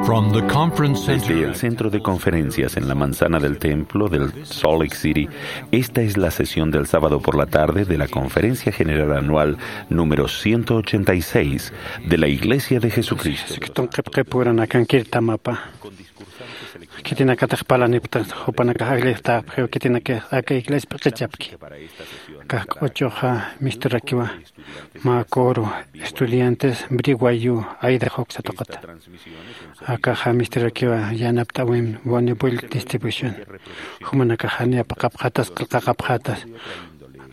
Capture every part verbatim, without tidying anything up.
From the conference Desde center el centro de conferencias en la manzana del templo del Salt Lake City, esta es la sesión del sábado por la tarde de la Conferencia General Anual número ciento ochenta y seis de la Iglesia de Jesucristo. Jesucristo qhipqipuranakan kirtamapa. Khitinakatix parlanipxta jupanakax aglistapxiw khitinakax aka iglesia p'iqichapki. Akax q'uchuxa misturakiwa mä coro estudiantes Briwayu Idaho uksa tuqita. Akaxa misturakiwa yanapt'awim Bonnie Bull Distribution. Jumanakax jani apaqapxatas qillqaqapxatas.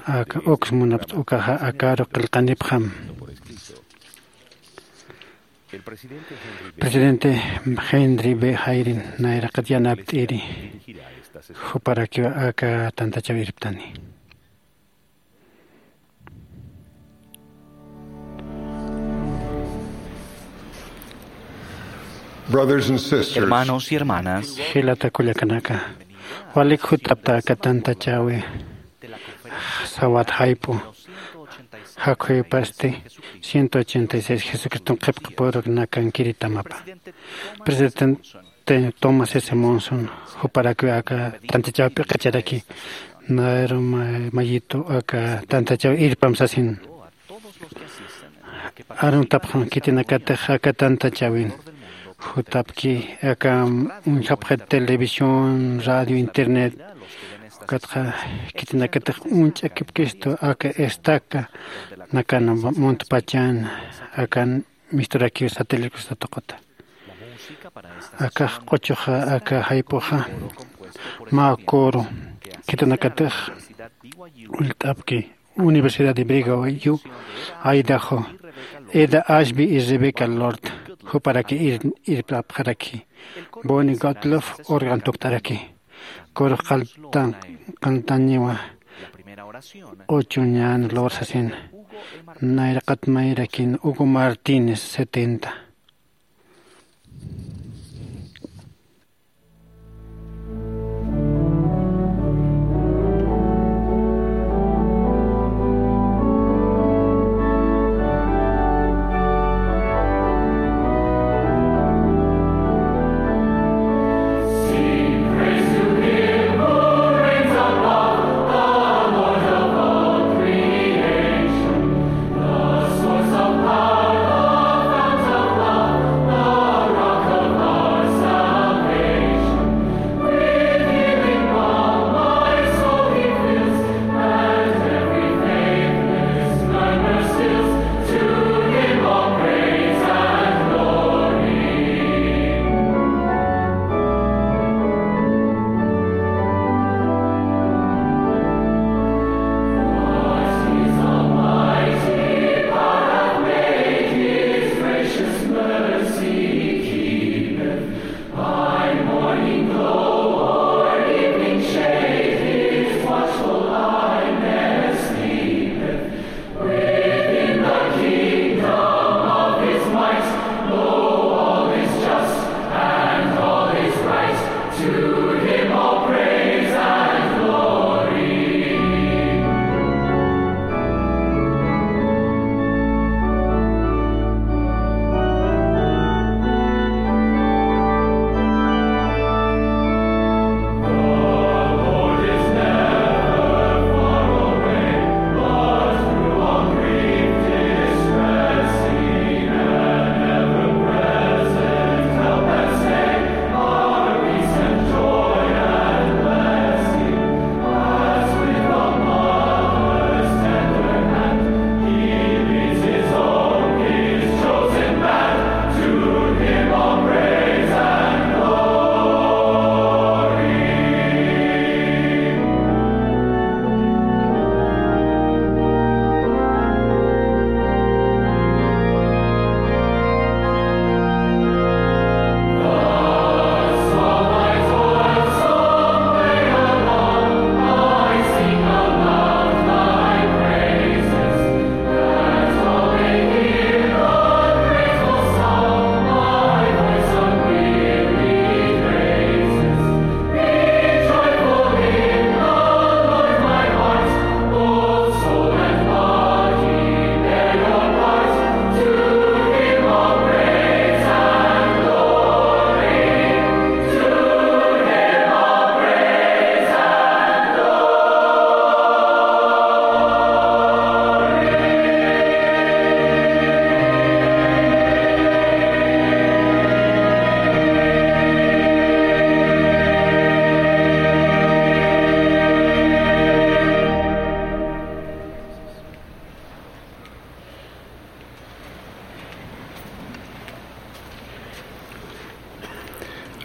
Aka uks munapxta ukaxa akaru qillqanipxam. Presidente Henry B. Hayden nayraqat yanapt'iri juparakiwa aka tantachaw irptani. Brothers and sisters, hermanos y hermanas, jilata kullakanaka, walik jutapta aka tantachawi sawat jayp'u jakhuypasti ciento ochenta y seis Jesucriston qhipqipurnakan kiritamapa. Presidente Thomas S. Monson juparakiw aka tantachaw p'iqicharaki, naru ma-, mayitu aka tantachaw irpam sasin. Aruntapxan khitinakatix aka tantachawin jutapki aka uñjapxit televisión, radio, internet, ukatxa khitinakatix uñch'akipkistu aka estaca nakan muntpachan akan misturakiw satélite tuquta. Akax q'uchuxa aka jayp'uxa mä coro khitinakatix ullt'apki Universidad de Brigham Young, Idaho, Eda Ashby y Rebecca Lord, juparaki ir-, irp'apxaraki. Bonnie Gottlob órgano tukt'araki. Coro qalltan-, qalltañiwa q'uchuñan Lord sasin. Nayraqat mayrakin Hugo Martínez, setenta.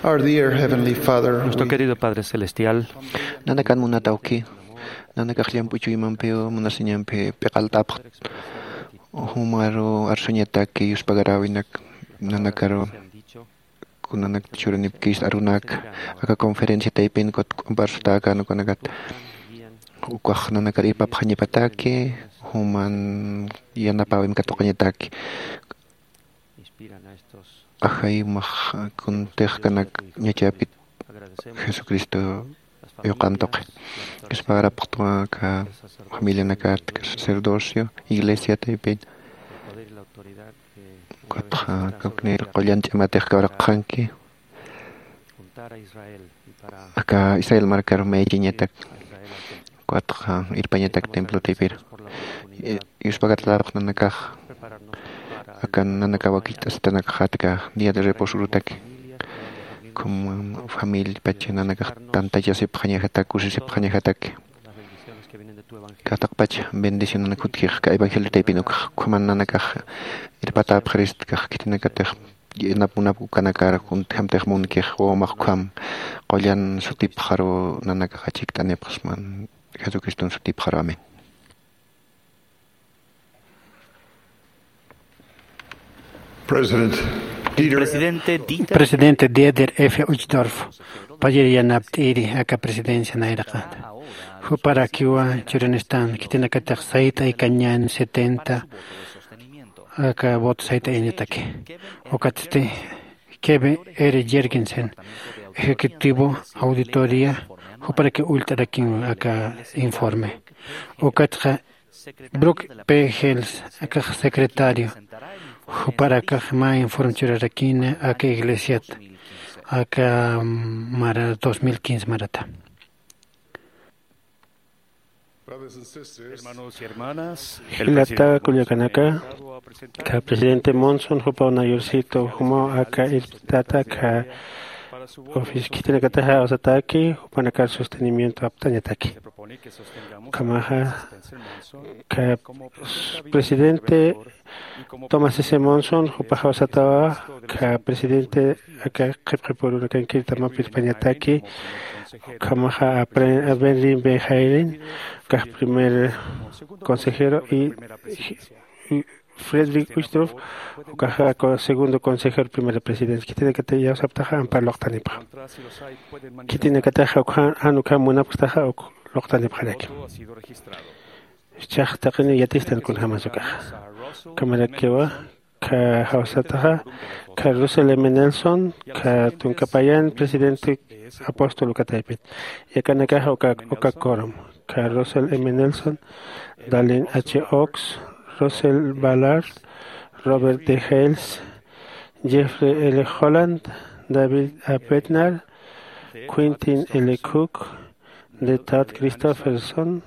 Our dear Heavenly Father, nuestro we- querido Padre Celestial, nanakan munatawki, nanakax llamp'u chuymampiw munasiñampi p'iqalt'apxta, jumaru arsuñataki yuspagaräwinak, nanakaru kunanak churanipkista arunaka, aka conferencia taypin kut k'umpar sutäkän ukanakat, ukax nanakar irpapxañapataki, juman yanapäwim katuqañataki. Ajay, max kuntix kanak ñachapit Jesucristo yuqan tuqi. Yuspagarapxtwa aka familianakat, aka sacerdocio, iglesia taypin. Ukatxa kawknir qullan ch'amatix kawraqxanki. Aka Israel markaru maychiñatak. Ukatxa irpañatak templo taypir. I-, yuspagarapxta nanakax. Aka nanakaw wakicht'asitanakaxatka día de reposo urutaki. Como familia pacha nanakax tantachasipxañaxatak, kusisipxañaxataki. Aka taqpach bendicionanak jutkix aka evangelio taypin ukhaman nanakax irpatäpxiristkax khitinakatix. Yanap munap ukanakar juntjamtix munkix wawamax ukham qullan sutipxaru nanakax achikt'anipxsman Jesucriston sutipxaru. Amén. President Dieter Presidente Dieter, Presidente Dieter F. Uchtdorf, payir yanapt'iri aka presidencia nayraqata. Juparakiwa churanistan khitinakatix sayt'aykañän setenta aka voto sayt'ayañataki. Ukatsti Kevin R. Jergensen, ejecutivo auditoría, juparaki ullt'arakin aka informe. Ukatxa Brooke P. Hales, akax secretario, juparakax mä informe churarakina aka iglesiat, aka mara dos mil quince marata. Hermanos y hermanas, el Jilata presidente kullakanaka, Monson ha presentado aka presidente Monson, jupaw nayorcito, jumaw aka irptata, aka ofis khitinakataxa awsataki, jupanakar sostenimiento aptañataki. Ukhamaxa, aka presidente Thomas S. Monson, jupax awsatawa, aka presidente aka qhipqipurunakankirtamapirpañataki, ukhamaxa a Pre-, a Benry B. Halen, ukax primer consejero, y, y Frederick Uchtdorf, ukaxa co-, segundo consejero, primera presidencia. Khitinakatix iyawsaptaxa ampar luqtanipxa. Khitinakataxa ukha-, jan ukham munapxtaxa uk luqtanipxaraki. Jichhax taqini yatistan kunjamas ukaxa. Ukhamarakiwa, aka awsataxa, aka Russell M. Nelson, aka tunka payan presidente apóstol uka taypit. Yakanakaxa uka, uka quórum, aka Russell M. Nelson, Dallin H. Oaks, Russell Ballard, Robert D. Hales, Jeffrey L. Holland, David A. Bednar, Quentin L. Cook, D. Todd Christofferson,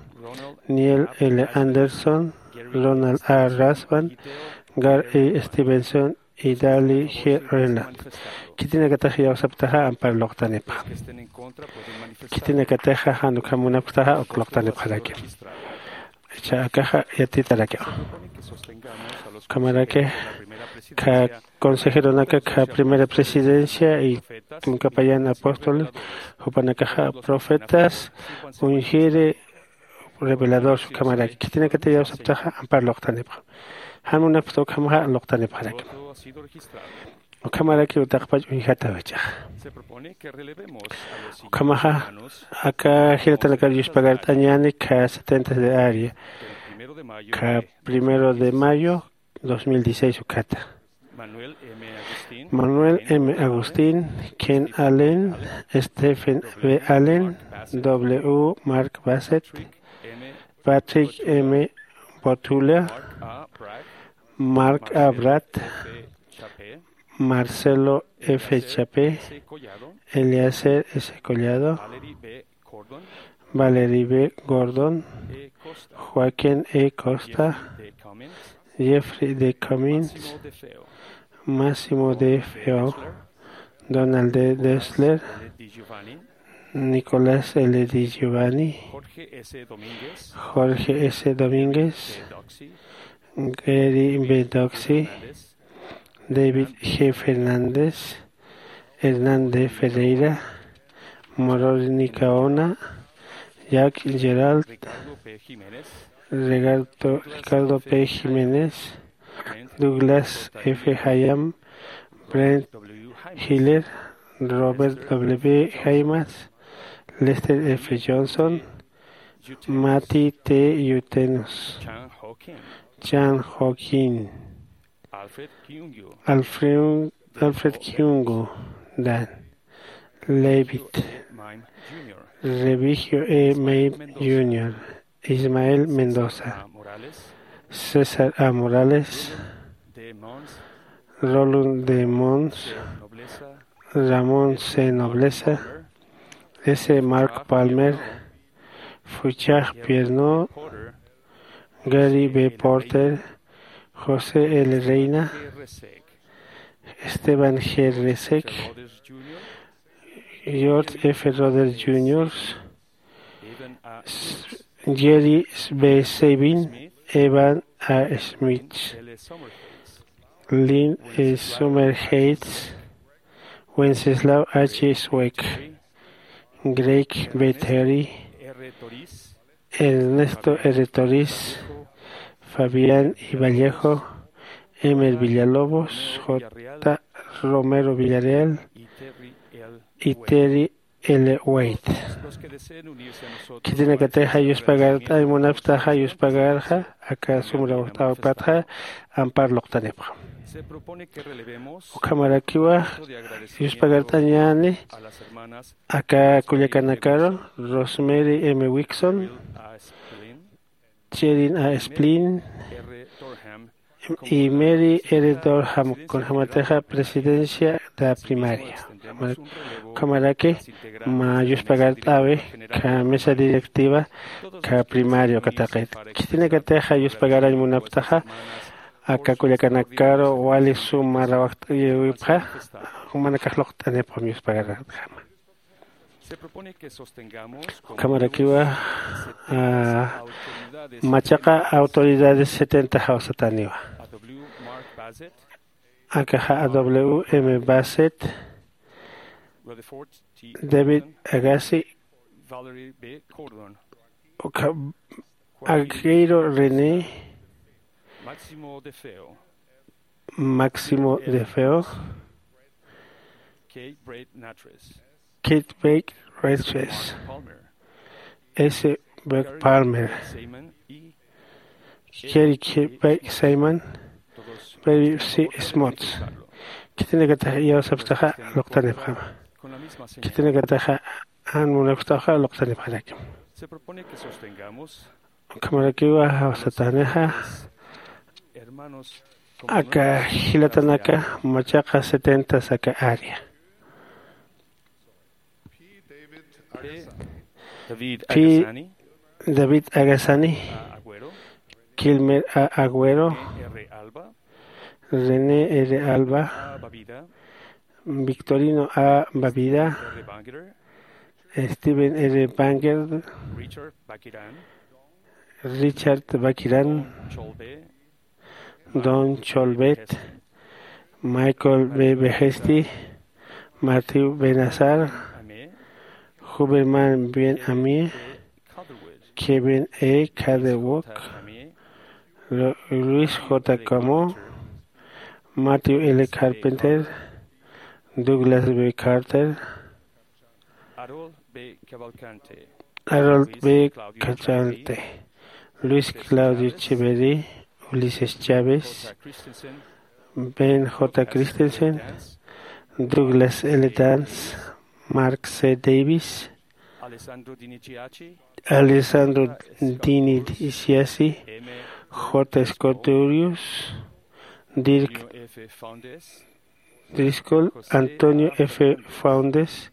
Neil L. Anderson, Ronald A. Rasband, Gary E. Stevenson y Dale G. Reinhardt. Khitinakatax iyawsaptaxa ampar luqtanipxa. Khitinakataxa jan ukham munapxtaxa uk luqtanipxaraki. Jichha akaxa yatitaraki. Ukhamaraki aka consejeronaka aka primera presidencia y tunka payan apóstoles, jupanakaxa profetas, ungido, revelador, ukhamaraki. Khitinakatix iyawsaptaxa ampar luqtanipxa. Jan munapxta ukhamaxa luqtanipxaraki. Ukhamaraki utaqpach uñjataw jichhaxa. Ukhamaxa aka jilatanakar yuspagart'añäni aka setenta de área, aka primero de mayo dos mil dieciséis ukhata. Manuel M. Agustín, Ken Allen, Stephen B. Allen, W. Mark Bassett, Patrick M. Botula, Mark A. Bratt, Marcelo F. Chapé, Eliezer S. Collado, Valerie B. Gordon, Joaquín E. Costa, Jeffrey D. Cummings, Massimo De Feo, Donald D. Dessler, Nicolás L. Di Giovanni, Jorge S. Domínguez, Gary B. Doxy, David G. Fernández, Hernán de Ferreira, Moroni Caona, Jack Gerald, Ricardo, Ricardo P. Jiménez, Douglas F. Hayam, Brent Hiller, Robert W. Haymas, Lester F. Johnson, Matty T. Yutenus, Chan Joaquin, Alfred, Alfred Kyungu Dan, Levitt, Revigio E. Mabe junior, Ismael Mendoza, César A. Morales, Roland D. Mons, Ramón C. Nobleza, S. Mark Palmer, Fuchah Pierno, Gary B. Porter, José L. Reina, Esteban G. Resek, George F. Rhodes junior, Jerry B. Sabin, Evan A. Smith, Lynn E. Summerheights, Wenceslao H. Sweck, Greg B. Terry, Ernesto R. Toris, Fabián I. Vallejo, Emer Villalobos, J. Romero Villarreal y Terry L. White. Khitinakatixa yuspagart'añ munapxtaxa, yuspagarxa aka sumra uxt'awpatxa ampar luqtanipxam. Ukhamarakiwa yuspagart'añäni aka kullakanakaru Rosemary M. Wixon, Cherin A. Splin y Mary R. Durham, kunjamatixa presidencia de primaria. Ukhamaraki mä yuspagart'äwi aka mesa directiva aka primario kataqit. Khitinakatixa yuspagarañ munapxtaxa aka kullakanakaru wali suma rawajt'ayäwipxa, jumanakax luqt'anipxam yuspagart'äwima. Ukhamarakiwa, ah, machaqa autoridades setenta jawsatäniwa. Akaxa A. W. M. Bassett, David Agassi, ukha Agüero René, Máximo De Feo, Kate Blake Nattress, S. Brett Palmer, Kerry Blake Simon, Perry C. Smuts. Khitinakatix iyawsapxtaxa luqtanipxam. Khitinakatixa jan munapxtaxa luqtanipxarakim. Ukhamarakiwa jawsatänixa aka jilatanaka machaqa setenta aka área. P. David Agasani, Kilmer A. Agüero, René R. Alba, Victorino A. Bavida, Steven R. Banger, Richard Bakiran, Don Cholbet, Michael B. Behesti, Matthew Benazar, Huberman Ben Amir, Kevin E. Catherwood, Luis J. Camo, Matthew L. Carpenter, Douglas B. Carter, Harold B. Cachante, Luis Claudio Echeverry, Ulises Chávez, Ben J. Christensen, Douglas L. Dance, Mark C. Davis, Alessandro Dini Siasi, J. Scott Durius, Dirk Driscoll, Antonio F. Faundes,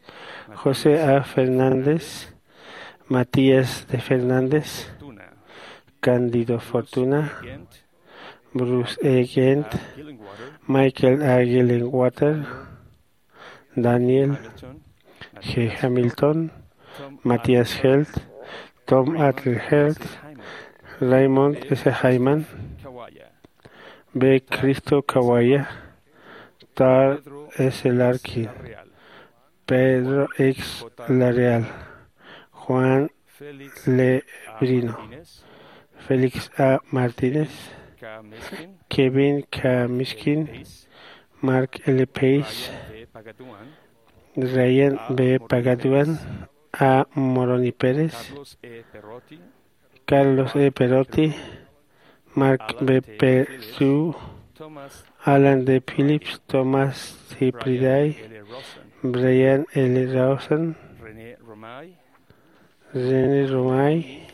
José A. Fernández, Matías de Fernández, Cándido Fortuna, Bruce E. Kent, Michael A. Gillenwater, Daniel G. Hamilton, Matías Helt, Tom Adler Helt, Raymond S. Hyman, B. Cristo Kawaya, Tar S. Larkin, Pedro X. Lareal, Juan Lebrino, Félix A. Martínez, Kevin K. Miskin, Mark L. Pace, Ryan B. Pagaduan, A. Moroni Pérez, Carlos E. Perotti, Mark B. Perdue, Alan D. Phillips, Thomas C. Priday, Brian L. Rosen, René Romay,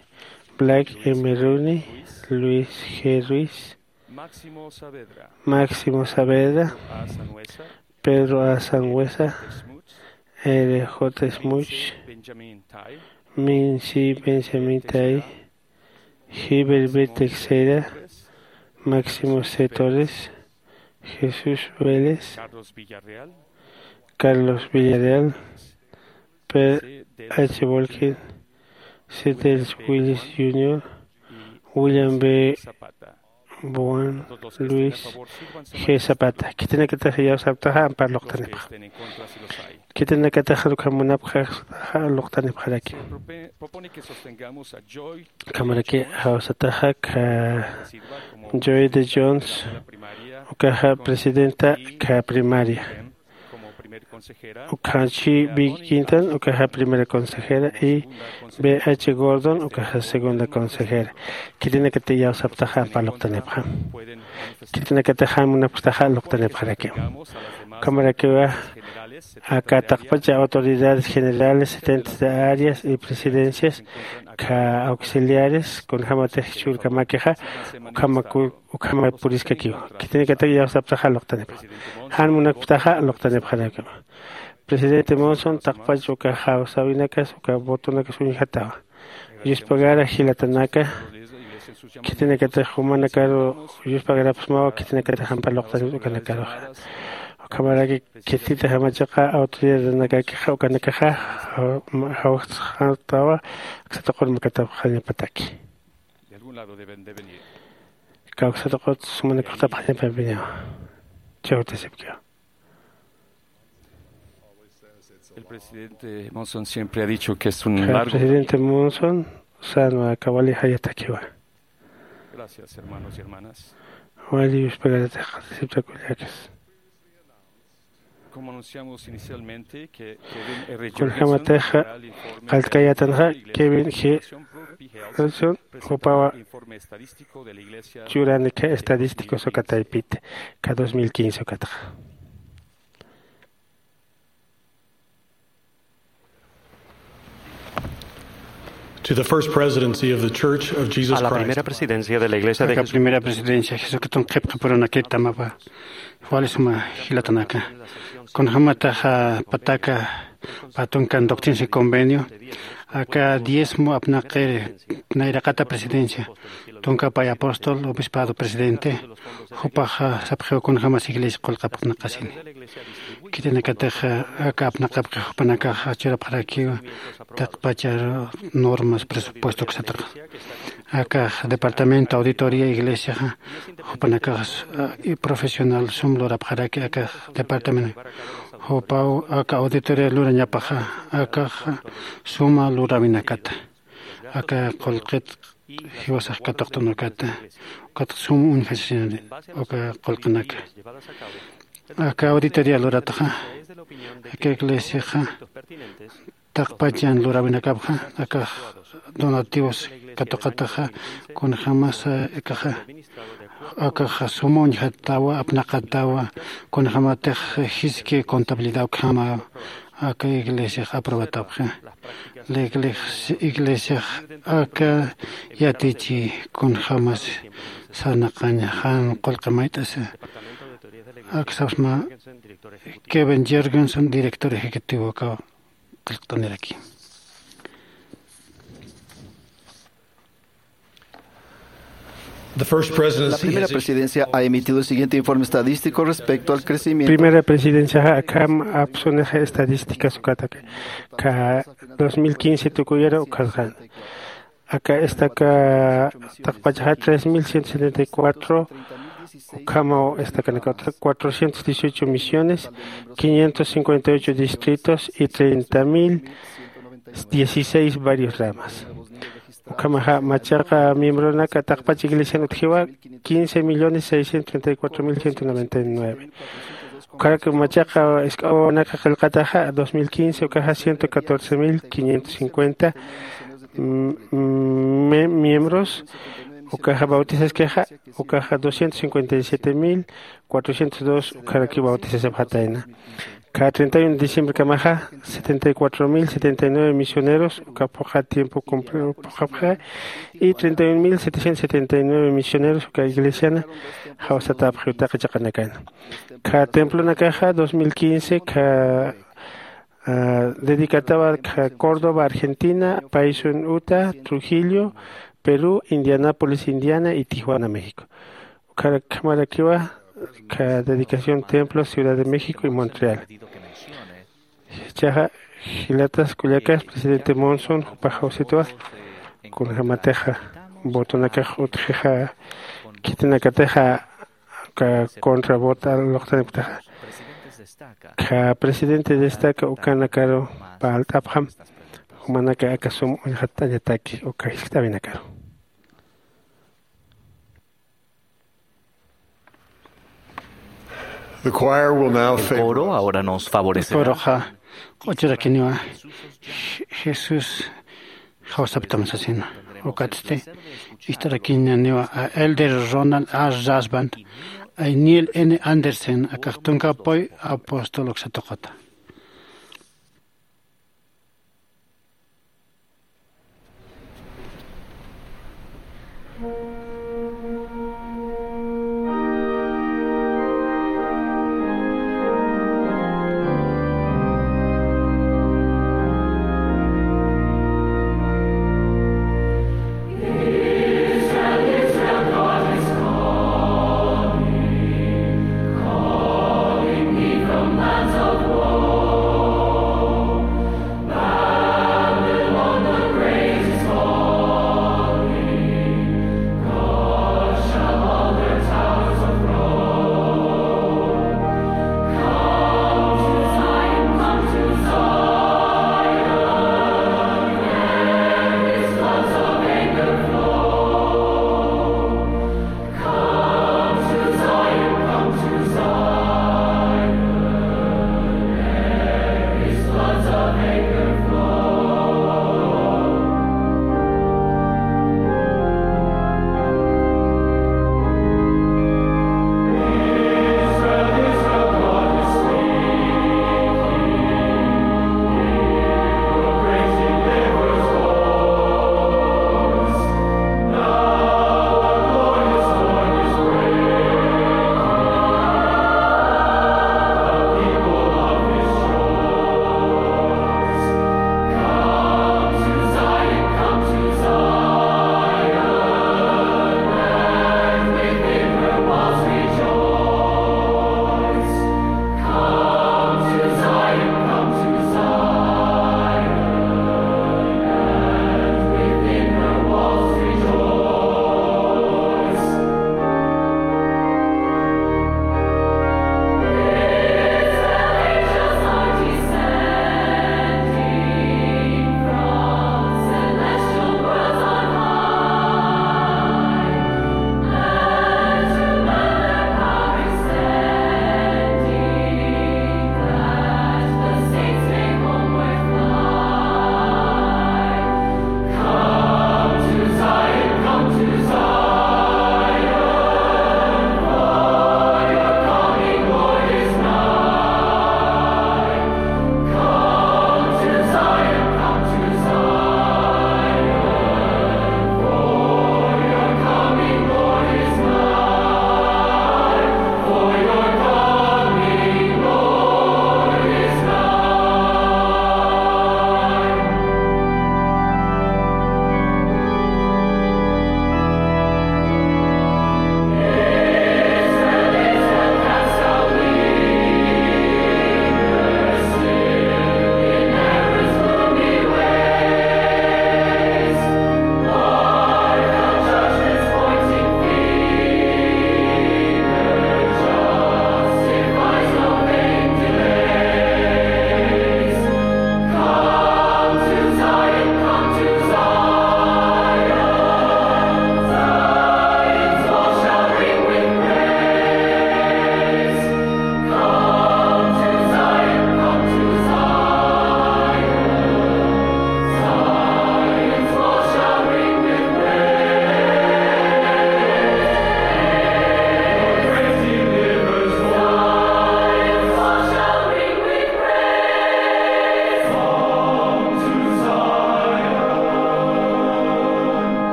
Black M. Rooney, Luis G. Ruiz, Máximo Saavedra, Pedro A. Sangüesa, R. J. Smuts, Mincy Benjamin Tai, Gilbert B. Teixeira, Máximo C. Torres, Jesús Vélez, Carlos Villarreal, Per H. Volkin, Cedric Willis junior, William B. Bowen, Luis G. Zapata. Khitinakatix iyawsaptaxa ampar luqtanipxa. Khitinakatix ukham munapxaxa luqtanipxaraki. Ukhamaraki jawsataxa kha Joy de Jones, ukaxa presidenta kha primaria. Ukhachi B. Quintan, ukaxa primera consejera, y B. H. Gordon, ukaxa segunda consejera. Khitinakatix iyawsaptaxa ampar luqtanipxa. Khitinakatix jan munapxtaxa luqtanipxaraki. Ukhamarakiwa aka taqpacha autoridades generales, setentes de áreas y presidencias, kha auxiliares, kunjämatix churkamakixa, ukhamaku ukhama puriskakiwa. Khitinakatix iyawsaptaxa luqtanipxa. Jan munapxtaxa luqtanipxarakiwa. Presidente Monson, taqpach uka jawsäwinakas, uka votonakas uñjatawa. Yuspagara jilatanaka, khitinakatix jumanakaru yuspagarapxsmawa, khitinakatix ampar luqtanipxta ukanakaruxa. Ukhamaraki khititix jamachiqa autoridadnakakixa ukanakaxa jawxt'atawa, aksa tuqur makatapxañapataki. Kawksataqut sumanakxtapxañapapiniwa. Chawtasipkiwa. El presidente Monson siempre ha dicho que es un largo camino. Presidente Monson sänwa aka wali jayatakiwa. Gracias, hermanos y hermanas. Wali yuspagaratax qhatisipta kullakas. Kunjämatixa qallt'kayätanxa Kevin G. Wilson, jupawa churanik estadísticos uka taypit, aka dos mil quince ukatxa. To the First Presidency of the Church of Jesus Christ. A la primera presidencia de la Iglesia de Jesucristo. Aka primera presidencia Jesucristo qhipqi purunakit tamawa. Wali suma jilatanaka. Kunjämataxa pataka pä tunkan doctrinas y convenio, aka diezmo apnaqir nayraqata presidencia, tunka pay apóstol, obispado, presidente, jupaxa sapxiw kunjämas iglesia qullqi apnaqasini. Khitinakatix aka apnaqapki jupanakaxa churapxarakiw taqpachar normas, presupuesto uksataxa. Akax departamento auditoría iglesiaxa jupanakax profesional sum lurapxaraki aka departamento. Jupaw aka auditoría lurañapaxa akax suma luräwinakata, aka qullqit jiwasax katuqt'anukata, ukatx sum uñjasinani uka qullqinaka. Aka auditoría lurataxa aka iglesiaxa taqpachan luräwinakapxa akax donativos katuqataxa, kunjämas akaxa, akaxa suma uñjatawa, apnaqatawa, kunjämatix jiski contabilidad ukhama aka iglesiax aprobatapxi. La iglesia, iglesiax aka yatichi kunjämas sarnaqaña jan qullqi mayt'asa. Aksapxsma Kevin Jergensen, director ejecutivo aka qillqt'aniraki. The First Presidency La primera has issued presidencia ha emitido el siguiente informe estadístico respecto al crecimiento. Primera presidenciaxa akham apsunixa estadísticas ukataki. Aka dos mil quince tukuyara ukatxa. Aka estaca taqpachaxa tres mil ciento setenta y cuatro Ukhamaw estakanakata cuatrocientos dieciocho misiones, quinientos cincuenta y ocho distritos y treinta mil dieciséis barrios ramas. Ukhamaxa machaqa miembronaka taqpach iglesian utjiwa quince millones seiscientos treinta y cuatro mil ciento noventa y nueve. Ukharak machaqa isk'awanaka qillqataxa dos mil quince ukaxa ciento catorce mil quinientos cincuenta, mm, mm, me- miembros ukaxa bautizaskixa, ukaxa doscientos cincuenta y siete mil cuatrocientos dos ukharaki bautizasapxatayna. Ka treinta y uno de diciembre kamaxa setenta y cuatro mil setenta y nueve misioneros uka phuqha tiempo cumple phuqhapxa y treinta y uno mil setecientos setenta y nueve misioneros uka iglesiana jawsatapxi utaqa chaqanakana. Ka templonakaxa dos mil quince ka ah, dedicatawa ka Córdoba, Argentina, Paysun, Utah, Trujillo, Perú, Indianápolis, Indiana y Tijuana, México. Ukharak khamarakiwa ka dedicación templo Ciudad de México y Montreal. Chaxa jilatas kullakas presidente Monson jupax jawsitwa kunjamatixa votonakax utjixa khitinakatixa ka contra vota luqtaniptaxa ka presidente destaca ukanakaru palt'apxam jumanaka aka sum uñxatt'añataki uka jiskt'awinakaru. The choir will now El favor coro us. Ahora nos favorecerá. Koroxa q'uchurakiniwa. Jesús jawsaptam sasina. Ukatsti ist'arakiñaniwa a Elder Ronald A Rasband, a Neil N Andersen, akax tunka apoy apóstol uksatuqata.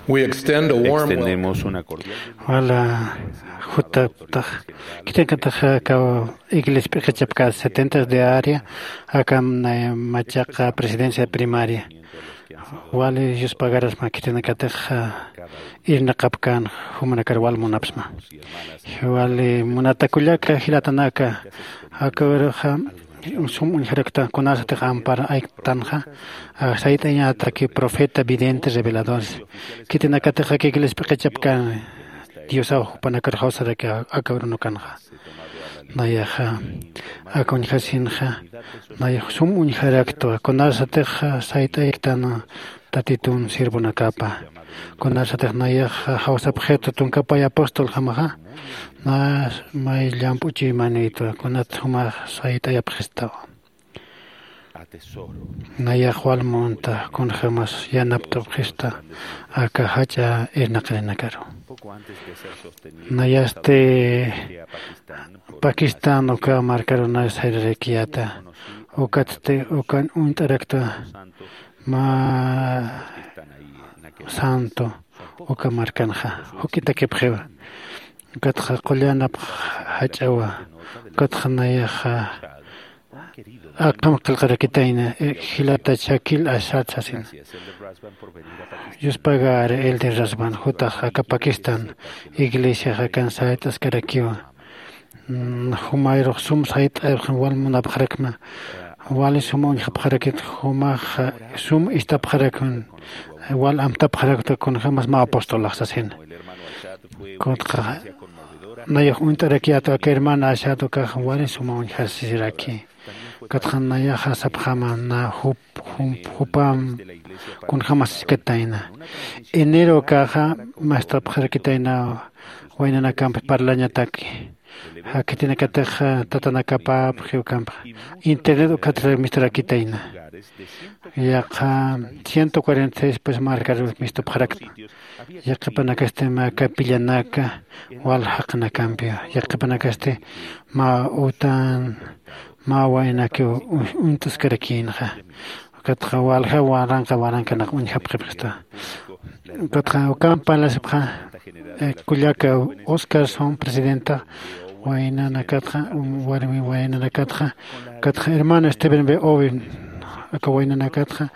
We extend a warm welcome. Extendemos una cordial. Wala jutaptax, kitinakatax aka iglesia p'iqichapka setenta de área, akan, eh, machaqa presidencia primaria. Wali Dios pagarasma kitinakatax, ah, irnaqapkan jumanakar wal munapsma. Wali munata kullaka jilatanaka, aka uruxa, sum uñjarakta, kunasatix ampar aytanxa, ah, sayt'añataki profeta, vidente, reveladores. Kitinakatix aka iglesia p'iqichapkan Diosaw jupanakar jawsaraki aka urunukanxa. Nayaxa, aka uñjasinxa, nayax sum uñjaraktwa, kunasatix sayt'ayktan Tatitun sirvunakapa. Kunasatix nayax jawsapxitu tunkapay apostol jamaxa, na may llamp'u chuymanïtwa, kunat jumax sayt'ayapxistawa. Nayax wal munta, kunjämas yanapt'apxista, aka jach'a irnaqirinakaru. Nayasti Pakistan uka markarunas sayrarakiyäta, ukatsti ukan uñt'araktwa mä santo uka markanxa, juk'itakipxiwa. Ukatxa qullanap jach'awa, ukatxa nayaxa akham qillqarakitayna, eh, jilata Shakil Ashad sasina. Dios pagar Elder Rasban, jutax aka Pakistan iglesiax akan sayt'askarakiwa. Mm, jumayrux sum sayt'ayapxam wal munapxarakma, wali sum uñjapxarakit, jumax sum istapxarakun, wal amtapxarakta kunjämas mä apostolax sasina. Kutxa nayax uñt'arakiyäta aka hermana Ashad ukax wali suma uñjasisiraki. Kutxa nayaxa sapxama na jup, jum-, jupam kunjämas iskatayna. Enero ukaxa mastapxarakitayna waynanakampi parlañataki. Jakitinakatix tatanakapapxi ukampi. Internet ukatxa misturakitayna. Yaqha ciento cuarenta y seis pues markarus mistupxarakta. Yaqhipanakasti mä capillanaka wal jaqinakampi. Yaqhipanakasti mä utan, mä waynakiw uñ-, uñt'askarakïnxa. Ukatxa walja waranqa waranqanaq uñjapxipxista. Ukatxa ukamp parlasipxa, eh, kullaka Oscarson presidenta waynanakatxa, um, warmi waynanakatxa, ukatxa hermano Steven B. Owen, aka waynanakatxa,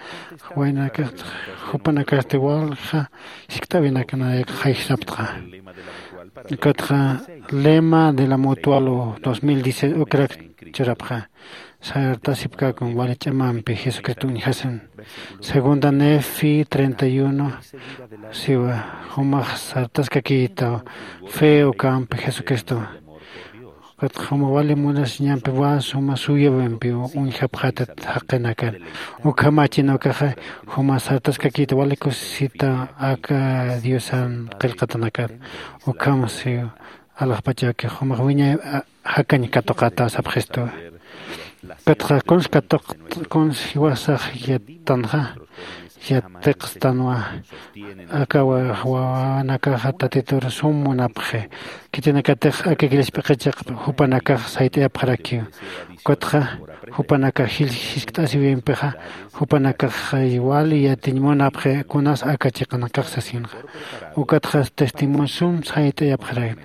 waynanakatxa, jupanakasti walja jiskt'äwinakana jayjsapxta. Ukatxa lema de la Mutual dos mil diez ukrak churapxa. Sartasipkäkun wali ch'amampi Jesucristo uñjasin. Segunda Nefi treinta y uno, siwa, jumax sartaskakïta fe ukampi Jesucristo. Ukatxa juma wali munasiñampi wal suma suyawimpi uñjapxatat jaqinakan. Ukhamachin ukaxa juma sartaskakïta wali kusisita aka Diosan qillqatanakat. Ukham siwa, alaxpachaki jumax wiñay, a, jakañ katuqata sapxistu. Ukatxa kuns katuq, kuns jiwasax yattanxa, yatiqstanwa, aka wa-, wawanakaxa Tatitur sum munapxi. Khitinakatix aka iglesia p'iqichaq jupanakax sayt'ayapxarakiw. Ukatxa jupanakax jil-, jiskt'asiwimpixa, jupanakax wali yatiñ munapxi kunas aka chiqanakax sasinxa. Ukatxa testimonio sum sayt'ayapxarakï.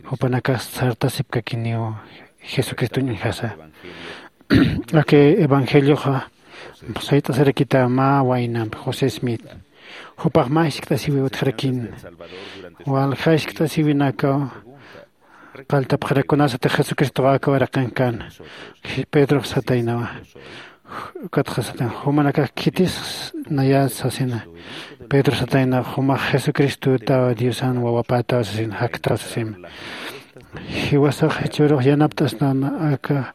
Jupanakax sartasipkakiniw Jesucristoñ uñjasa. Aka evangelioxa sayt'asarakïta mä waynamp José Smith. Jupax mä jiskt'asiwi utjarakïn. Walja jiskt'asiwinakaw qalltapxarak kunasatix Jesucristox aka waraqinkan. Pedrox sataynawa. Ukatxa satan, jumanakax khitis nayä sasina. Pedro satayna, jumax Jesucristotaw, Diosan wawapätaw sasina, jaktaw sasina. Jiwasax jichhürux yanapt'astan aka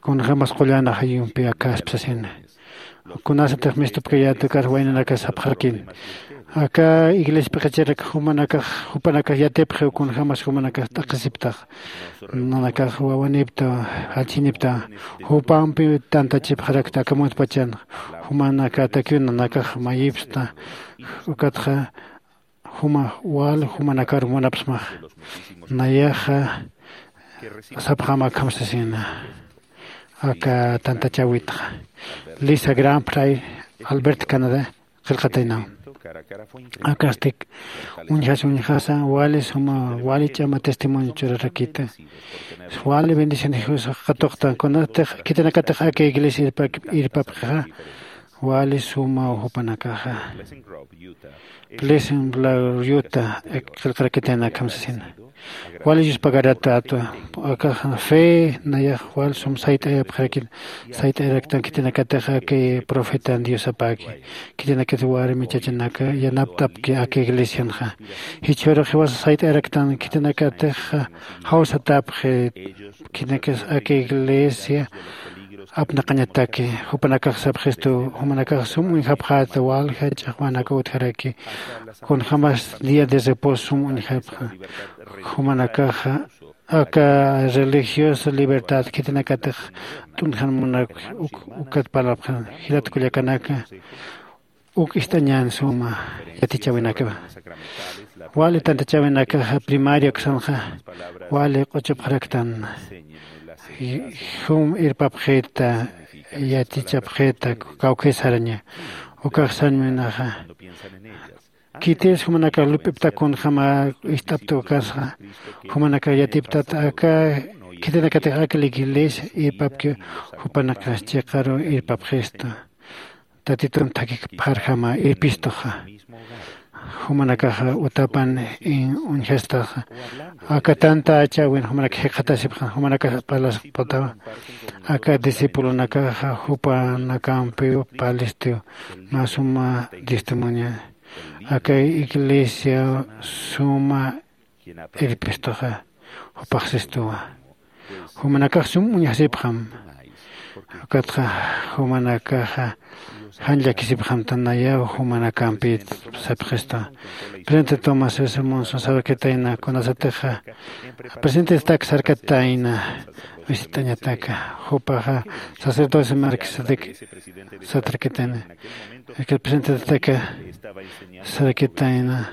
kunjämas qullan ajayumpi akäspa sasina. Kunasatix mistupkayät ukax waynanakas sapxarakïn. Aka iglesia p'iqichirak jumanakax, jupanakax yatipxiw kunjämas jumanakax t'aqhisiptax. Nanakax wawanipta, jallchinipta, jupampi tantachipxarakta aka muntpachan, jumanakatakiw nanakax mayipsta, ukatxa juma wal jumanakar munapsmax. Nayaxa sapxam akham sasina, aka tantachäwitxa. Lisa Graham Fry, Albert, Canadá, qillqataynaw. Akastik uñjas uñjasa wali suma wali ch'ama testimonio churarakita. Wali bendición jus qatuqtan kunatix khitinakatix aka iglesia irpapxixa wali suma jupanakaxa. Pleasant Valley Utah qillqarakitayna akham sasina. Wali Dios pagaratatu. Akaxa fe nayax wal sum sayt'ayapxarakit. Sayt'ayaraktan khitinakatix aka profetan Diosapaki. Khitinakatix warmi chachanaka yanapt'apki aka iglesianxa. Jichhürux jiwasa sayt'ayaraktan khitinakatix jawsatapxi. Khitinakatix aka iglesia apnaqañataki. Jupanakax sapxistu jumanakax sum uñjapxäta walja ch'axwanaka utjaraki. Kunjämas día de reposo sum uñjapxa. Jumanakaxa aka religiosa libertad khitinakatix t'unjan munak ukat parlapxan. Jilat kullakanaka uk ist'añän suma yatichäwinakawa. Wali tantachäwinakaxa primaria uksanxa wali q'uchupxaraktan. Jum irpapxita yatichapxita kawkhisaraña. Ukax sarmiwinaxa khitis jumanakax lup'ipta kunjama ist'apta ukasxa. Jumanakax yatiptata aka khitinakatix aka la iglesia irpapki. Jupanakax chiqaru irpapxistu. Tatitun thakik pharjama irpistuxa. Jumanakaxa utapan uñjastaxa. Aka tanta achäwin jumanak jikxatasipxan jumanakax parlasipxatawa. Aka discipulonakaxa jupanakampiw parlistiw mä suma testimonio. Aka iglesia suma irpistuxa jupaxsistuwa. Jumanakax sum uñjasipxam. Ukatxa jumanakaxa jan llakisipxamta nayaw jumanakampit sapxistuwa. Presidente Tomás S Monson sarkitayna kunasatixa presidentestak sarkatayna visitañataka. Jupaxa sacerdocio Melquisedec satrkitayna. Presidentestak sarkitayna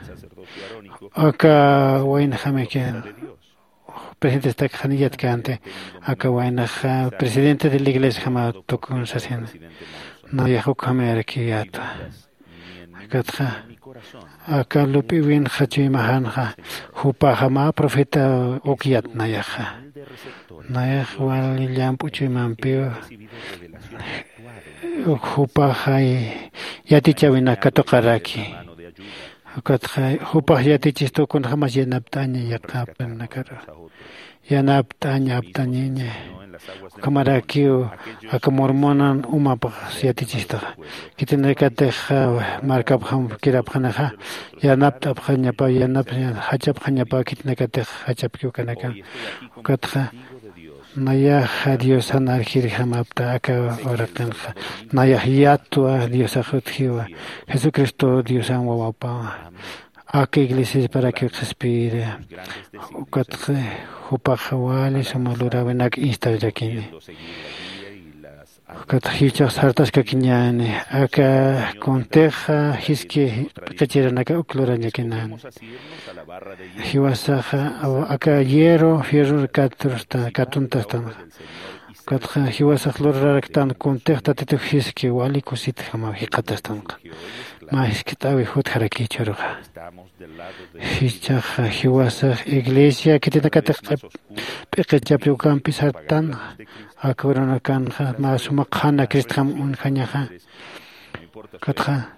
aka waynxamiki presidentestak janiyat känti. Aka waynaxa presidente de la iglesiajama tukun sasina. Nayax ukhamayarakiw yätwa. Akatxa aka lup'iwinxa chuymaxanxa jupaxa mä profeta uk yat nayaxa. Nayax wali llamp'u chuymampiw jupaxay yatichäwinak katuqaraki. Ukatxa jupax yatichistu kunjämas yanapt'aña yaqapnakaru yanapt'aña apt'añaña. Ukhamarakiw aka mormonan umapx yatichistaxa. Khitinakatix markapxam kirapxanixa yanapt'apxañapa yanap jachapxañapa khitinakatix jachapkiw kanakan. Ukatxa nayaxa diosan arjirjamapta aka uraqinxa. Nayax yatwa diosax utjiwa. Jesucristo diosan wawapawa. Aka iglesiasparakiw qhispiyiri. Ukatxa jupaxa wali suma luräwinak instalarakini. Ukatxa jichhax sartaskakiñäni aka kuntixa jiski p'iqichiranaka uk lurañakinäni. Jiwasaxa aka hierro fierror katuntastanxa. Ukatxa jiwasax luraraktan kuntix tatitux jiski wali kusitjamaw jikxatastanxa. Mä jiskt'äwi jutjarakichüruxa. Jichhaxa jiwasax iglesia khitinakatix p'iqichapri ukampi sartan. Aka uranakanxa mä suma qhana cristjam uñjañaxa. Ukatxa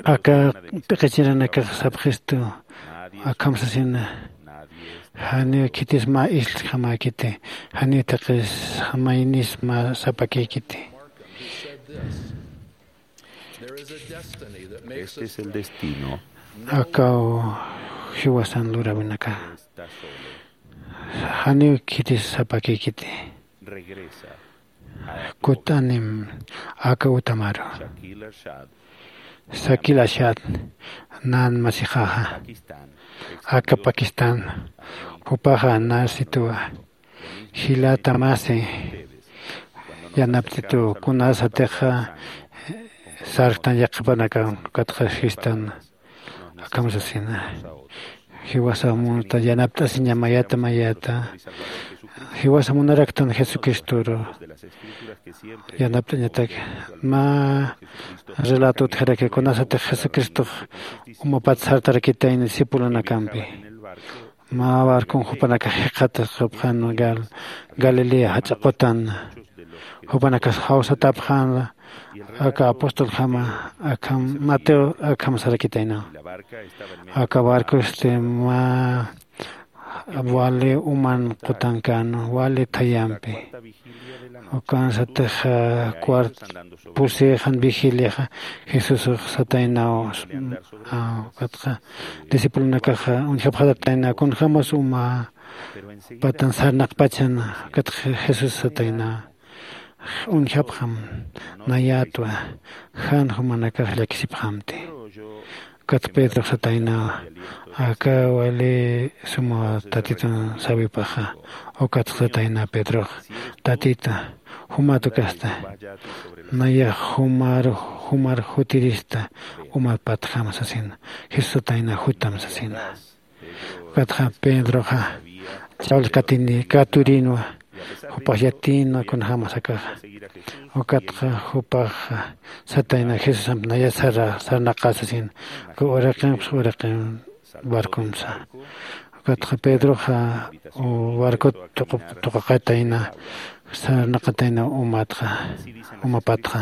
aka p'iqichiranakax sapxistu akham sasina. Janiw khitis mä isljamäkiti. Janiw taqis maynis mä sapakïkiti. Este es el destino. Akaw jiwasan luräwinaka janiw khitis sapakïkiti. Kut'anim aka utamaru. Sakil ashat nan masixaxa aka pakistan. Jupaxa nasituwa. Jilata masi yanaptitu kunasatixa sarktan yaqhipanakankatxa sistan. Akham sasina jiwasamunta yanapt'asiña mayata mayata. Jiwasa munaraktan jesucristoru yanapt'añatak. Mä relato utjaraki kunasatix jesucristox umapat sartarakitayna discipulonakampi. Mä barcon jupanakax jikxatasxapxan galilea jach'a qutan. Jupanakas jawsatapxan aka apostoljama akham mateo akham sarakitaynaw. Aka barcosti mä wali uman qutankan wali thayampi. Ukansatix cuart pusixan vigiliaxa jesusux sataynaw. Ukatxa discipulonakaxa uñjapxatatayna kunjämas uma patan sarnaqpachan. Ukatxa jesús satayna uñjapxam nayätwa jan jumanakax llakisipxamti. Ukat pedrox satayna aka wali suma tatitun sawipaxa. Ukatxa satayna pedrox tatita jumat ukasta nayax jumar jumar jutirista umapatjam sasina. Jesús satayna jutam sasina. Ukatxa pedroxa chawlkatini katurinwa jupax yatinwa kunjämas akaxa. Ukatxa jupaxa satayna jesusamp naya sara sarnaqä sasina. Uka uraqinpsa uraqin barcomsa. Ukatxa pedroxa barcot tuqaqatayna sarnaqatayna umatxa umapatxa.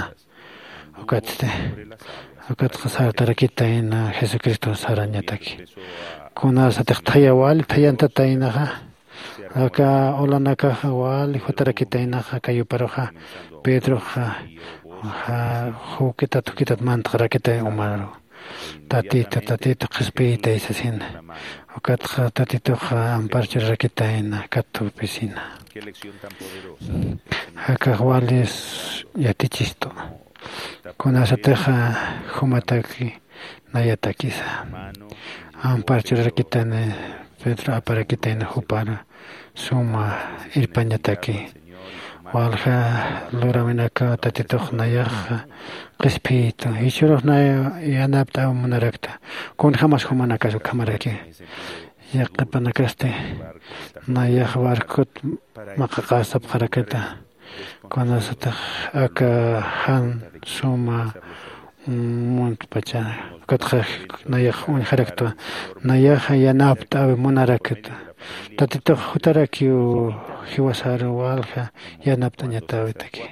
Ukatsti ukatxa sartarakitayna jesucristo sarañataki. Kunasatix thaya wali thayantataynaxa aka olanakaxa wali jutarakitaynaxa kayuparuxa pedroxa jukitat jukitat mantxarakitay umaru. Tatita tatita qhispiyitay sasina. Ukatxa tatituxa ampar churarakitayna katupisina. Akax walis yatichistu. Kunasatixa jumataki nayatakisa ampar churarakitayna pedro aparakitayna jupar suma irpañataki. Walja luräwinakaw tatitux nayaxa qhispiytu jichhürux nay yanapt'aw munarakta. Kunjämas jumanakas ukhamaraki yaqhipanakasti nayax barcot maqaqasapxarakita. Kunasatix aka jan suma muntpacha ukatxa nayax uñjaraktwa nayaxa yanapt'äwi munarakita. Tatitux jutarakiw jiwasaru walja yanapt'añatäwitaki.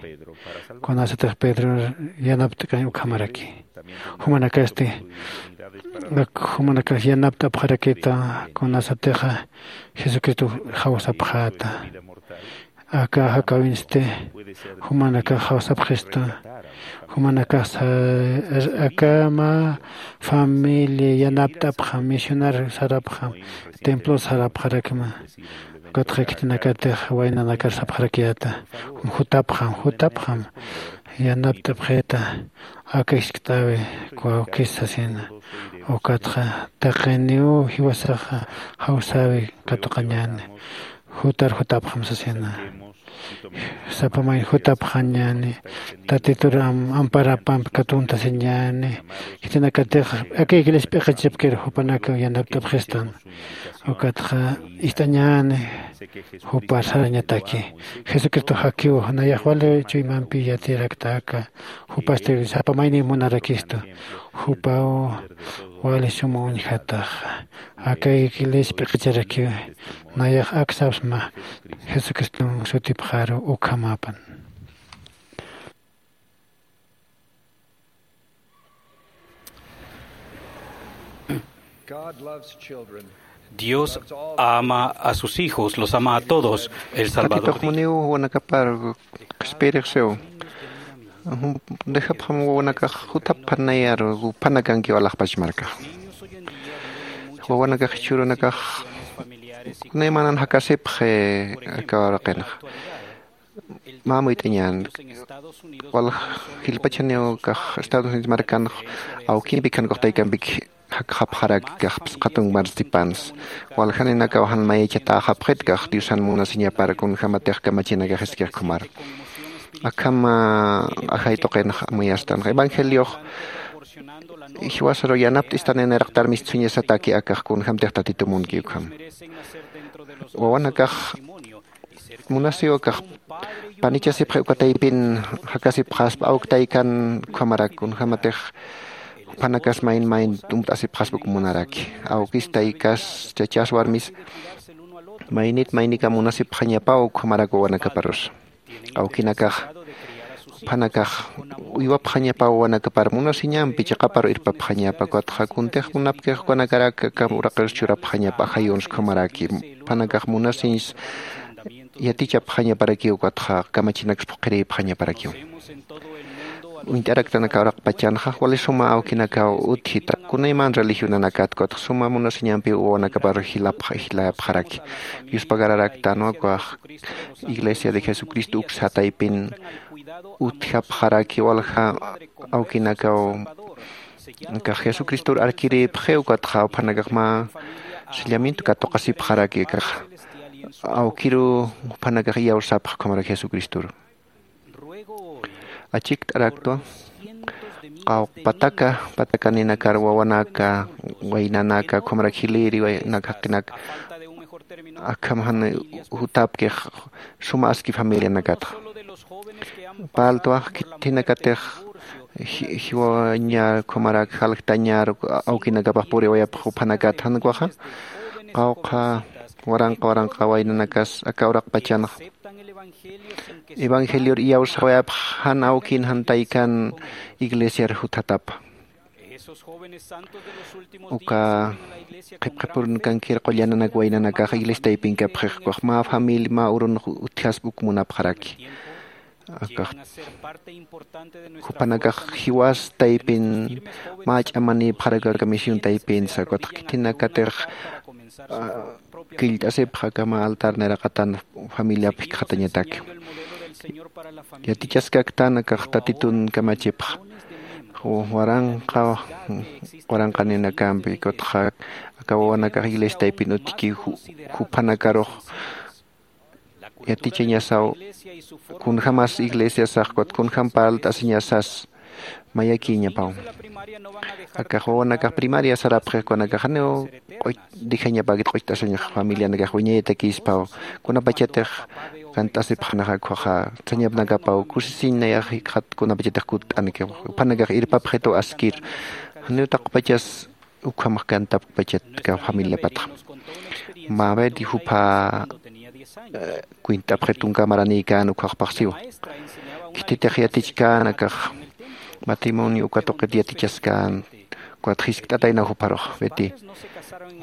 Kunasatix pedro yanapt'kañ ukhamaraki jumanakasti jumanakax yanapt'apxarakita. Kunasatixa jesucristo jawsapxäta aka jakäwinsti jumanakax jawsapxistu. Jumanakax aka mä familia yanapt'apxam misionar sarapxam templo sarapxarakma. Ukatxa khitinakatix waynanakar sapxarakiyäta jutapxam jutapxam yanapt'apxita aka jiskt'äwi kawkis sasina. Ukatxa taqiniw jiwasaxa jawsäwi katuqañäni jutar jutapxam sasina. Sapa mayni jutapxañäni tatitur amparapampi katuntasiñäni. Khitinakatix aka iglesia p'iqichapkir jupanakaw yanapt'apxistan. Ukatxa ist'añäni jupar sarañataki jesucristo jakiw nayax wali chuymampi yatirakta aka jupasti sapa mayniw munarakistu. Jupaw wali suma uñjataxa aka iglesia p'iqicharakiw nayax aksapsma jesucriston sutipxaru ukhamäpan. Dios ama a sus hijos, los ama a todos. El Salvador dijo. Muniw wanakapar qhispiyirixsiw dejapxam wawanakax jutapxanayaru phanakankiw alaxpach markax. Wawanakax jichhürunakax kunaymanan jakasipxi aka uraqinxa. Mä amuyt'añän wal jilpachaniw kax estados unidos markanx awkimpi khankuxtaykampik jakxapxaraki kax phisqatun marstipans. Waljaninakaw jan mayachat'äxapxit kax diosan munasiñapar kunjämatix kamachinakax iskixkhumar. Akham ajay tuqinx amuyastan evangeliox jiwasaru yanapt'istananiraqtar mistsuñasataki akax kunjämtix tatitu munki ukham. Wawanakax Munasiw akax panichasipxi uka taypin jakasipxaspa awk taykan ukhamarak kunjämatix juphanakas mayn mayn tumpt'asipxaspa uk munaraki. Awkis taykas chachas warmis maynit maynikam munasipxañapaw ukhamarak wawanakaparusa. Awkinakax juphanakax uywapxañapaw wawanakapar munasiñampi chiqaparu irpapxañapa ukatxa kuntix munapkix ukanakarak aka uraqirus churapxañapa ajayuns ukhamaraki. Juphanakax munasiñs yatichapxañaparakiw ukatxa kamachinaks phuqhirïpxañaparakiw. Uñt'araktanaka uraqpachanxa wali suma awkinakaw utjita kunayman religionanakat ukatxa suma munasiñampiw wawanakapar jilapxaraki. Yuspagararaktanwa ukax iglesia de jesucristo uksa taypin utjapxaraki walja awkinakaw akax jesucristor arkirïpxi ukatxa juphanakax mä sellamiento katuqasipxaraki akaxa awkiru juphanakax iyawsapxi ukhamarak jesucristoru. Achikt'araktwa qawq pataka patakaninakar wawanaka waynanaka ukhamarak jilïri waynak jaqinak akham jan jutapkix suma aski familianakatxa. Parltwa khitinakatix jiwañar ukhamarak jaljtañar awkinakapax puriwayapx juphanakat jan ukaxa qawqha waranqa waranqa waynanakas aka uraqpachanxa evangelior iyawsawayapx jan awkin jan taykan iglesiar juthatapa. Uka qhipqhipurunkankir qullananak waynanakax iglesia taypinkapxix ukax mä familia mä urunx utjaspa uk munapxaraki. Akax jupanakax jiwas taypin mä ch'amanïpxarak aka misión taypinsa ukatx khitinakatix killt'asipxa aka mä altar nayraqatan familiap jikxatañataki. Yatichaskaktan akax tatitun kamachipxa waranqa waranqaninakampi ukatxa aka wawanakax iglesia taypin utjki jupanakarux yatichañasaw kunjämas iglesiasax ukatxa kunjäm parlt'asiñasas mayakïñapaw. Akax wawanakax primaria sarapxix ukanakax janiw q'uch dejañapäkit q'ucht'asiñax familianakax wiñayatakïspaw kunapachatix kant'asipxanaxa ukkhaxa sañapnakapaw kusisiñ nayax jikxat kunapachatix kutt'anki juphanakax irpapxituw askir janiw taqpachas ukhamax kantapkpachat aka familiapatxa. Mä beti jupha kuint'apxi tunka maranïkän ukkhaxpaxsiwa. Khititix yatichkän akax matrimonio uka tuqit yatichaskän ukat jiskt'ataynaw jupharux beti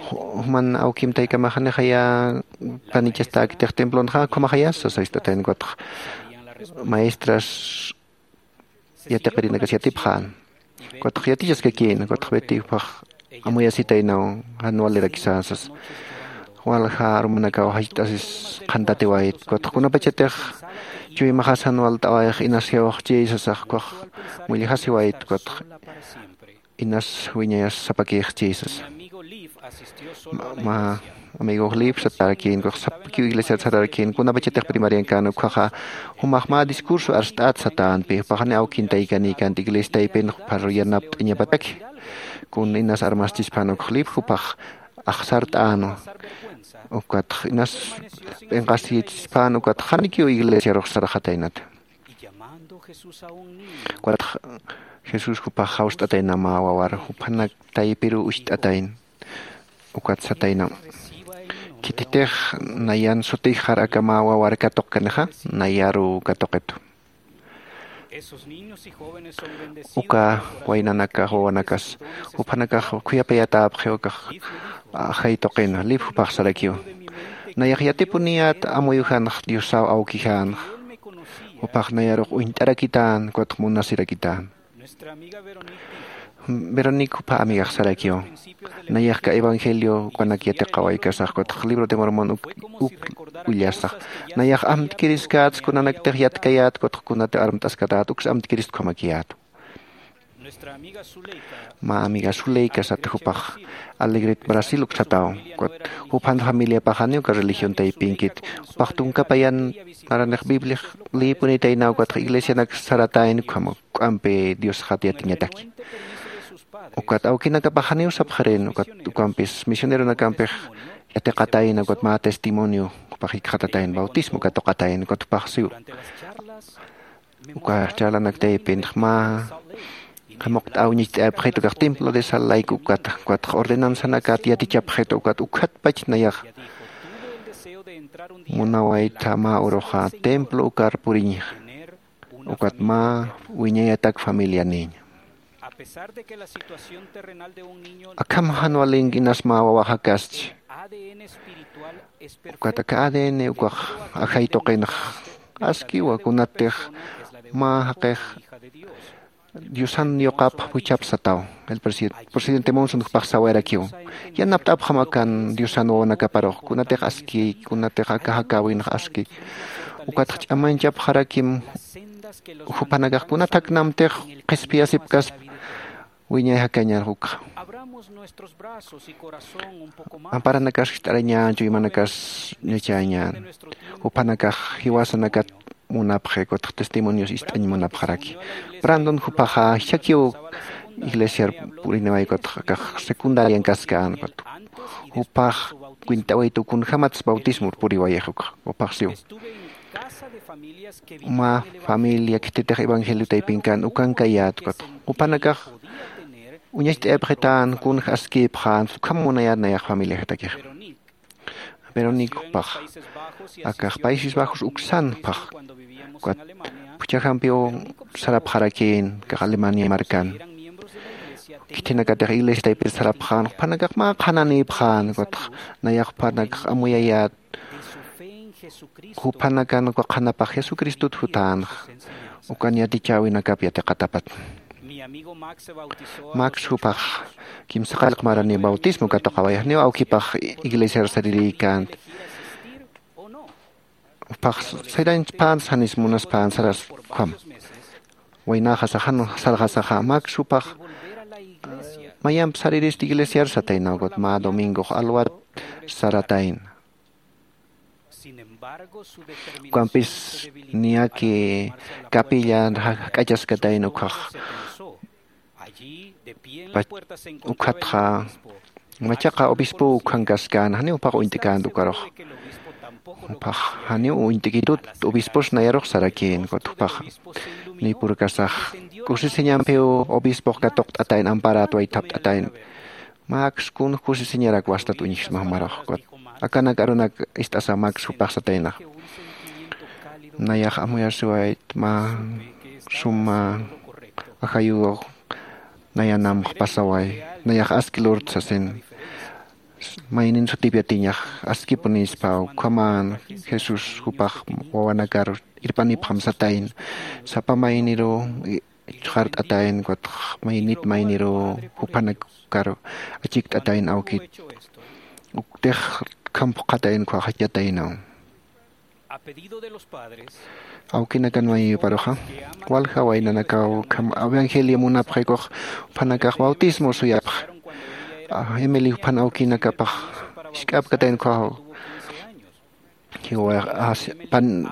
juman awkim taykamax janixaya panichastäkitix templonxa ukhamajayas sasa jiskt'atayna ukatx maestras yatiqirinakas yatipxän ukatx yatichaskakïna ukatx beti juphax amuyasitaynaw jan walirakisä sasa. Walja arumanakaw jach't'asis qhantatiwayt ukatx kunapachatix chuymaxas jan walt'awayx inasiwxchi sasax ukhax mullajasiwayt ukatx inas wiñayas sapakïxchi sasa. Mä amigox lif satärakïn ukax sapakiw iglesiar satärakïn kunapachatix primariankän ukkhaxa jumax mä discurso arst'at satänpi jupaxani awkin taykanïkänti iglesia taypin jupharu yanapt'añapataki. Kun inas armaschispan ukx lif jupax axsart'änwa ukatx inas p'inqasiyichispan ukatx janikiw iglesiarux sarxataynata. Ukatx jesús jupax jawst'atayna mä wawar juphanak taypiruw ucht'atayna. Ukat satayna khititix nayan sutixar aka mä wawar katuqkanixa nayaruw katuqitu. Uka waynanakax wawanakas juphanakax khuyapayatäpxi ukax ajay tuqina lip jupax sarakiw. Nayax yatipuniyät amuyujanx diosaw awkijänx jupax nayarux uñt'arakitän ukatx munasirakitän. Veronic jupha amigax sarakiw. Nayaxka evangelio ukanak yatiqawaykasax ukatx libro de mormon uk ullasax nayax amtkiriskät kunanaktix yatkayät ukatx kunati armt'askatät uks amtkirist ukhamakiyät. Mä amiga suleika sata jupax alegret brasil uksataw. Ukat juphan familiapaxaniw uka religion taypinkit jupax tunkapayan naranix bibliax lïpunitaynaw ukatx iglesianak saratayn ukham k'ampi diosxat yatiñataki. Ukat awkinakapaxaniw sapxirin ukat ukampis misioneronakampix yatiqatayna ukat mä testimonio jupax jikxatatayn bautismo katuqatayna ukat jupax siw. Uka charlanaktaypinx mä jamuqt'aw ñicht'ayapxitu kax templo de sal layku ukata ukatx ordenanzanakat yatichapxitu ukat ukhatpach nayax munawaytha mä uruxa templo ukar puriñixa ukat mä wiñayatak familianiñ. Akham jan walink'inas mä wawaxakaschi ukat aka adn ukax ajay tuqinx askiwa kunatix mä jaqix diosan yuqapxa juchhapsataw. El presidente monson jupax sawayarakiw yanapt'apxam akan diosan wawanakaparux kunatix aski kunatix aka jakäwinx aski ukatx ch'amañchapxarakim jupanakax kunat jaknamtix qhispiyasipkaspa wiñay jakañar ukxa amparanakas jist'arañan chuymanakas ñachañan jupanakax jiwasanakat munapxi kutx testimonios ist'añ munapxaraki. Brandon jupaxa jichhakiw iglesiar puriniway kutx akax secundarian kaskän kut jupax kwint'awaytu kunjämatsa bautismor puriwayix ukxa jupax siw mä familia khititix evangelio taypinkän ukankayät kut jupanakax uñacht'ayapxitän kunja askïpxän ukham munayät nayax familiajatakix. Verónica jupax akax países bajos uksan jupax ukat phuchhajampiw sarapxarakïn kax alemania markan khithinakatix iglesia taypir sarapxän jupanakax mä qhananïpxän ukatx nayax jupanakax amuyayät jupanakan uka qhanapax jesucristot jutänxa ukan yatichäwinakap yatiqatapat. Max jupax kimsa qallq marani bautismo katuqaway janiw awkipax iglesiar sarirïkänti jupax sayrañchpänsa janis munaspänsaras ukham waynaxasaxa jan sarxasaxa max jupax mayamp sariristi iglesiar satayna ukat mä domingox alwat saratayna. Ukampis niyaki capilla jak'achaskatayna ukhax ukhatxa machaqa obispo ukhankaskän janiw jupax uñt'känta ukarux jupax janiw uñt'kitut obispos nayarux sarakïn ukat jupaxa niypurkasax kusisiñampiw obispox katuqt'atayna amparat waythapt'atayna. Max kun kusisiñarak wastat uñjsma jumarux ukat akanak arunak ist'asa max jupax sataynax nayax amuyasiwayt mä suma ajayuw nayanamx pasaway nayax aski lurt sasin maynin sutip yatiñax askipunispa ukhaman jesús jupax wawanakar irpanipxam satayna sapa mayniruw ichxart'atayna ukatx maynit mayniruw juphanakar achikt'atayna awkit uktix kham phuqhatayna ukhax yataynaw. Awkinakan mayiyuparuxa walja waynanakaw kham evangelio munapxikux juphanakax bautismo suyapxa emeli juphan awkinakapax isk'apkatayna ukhaw jiwax pan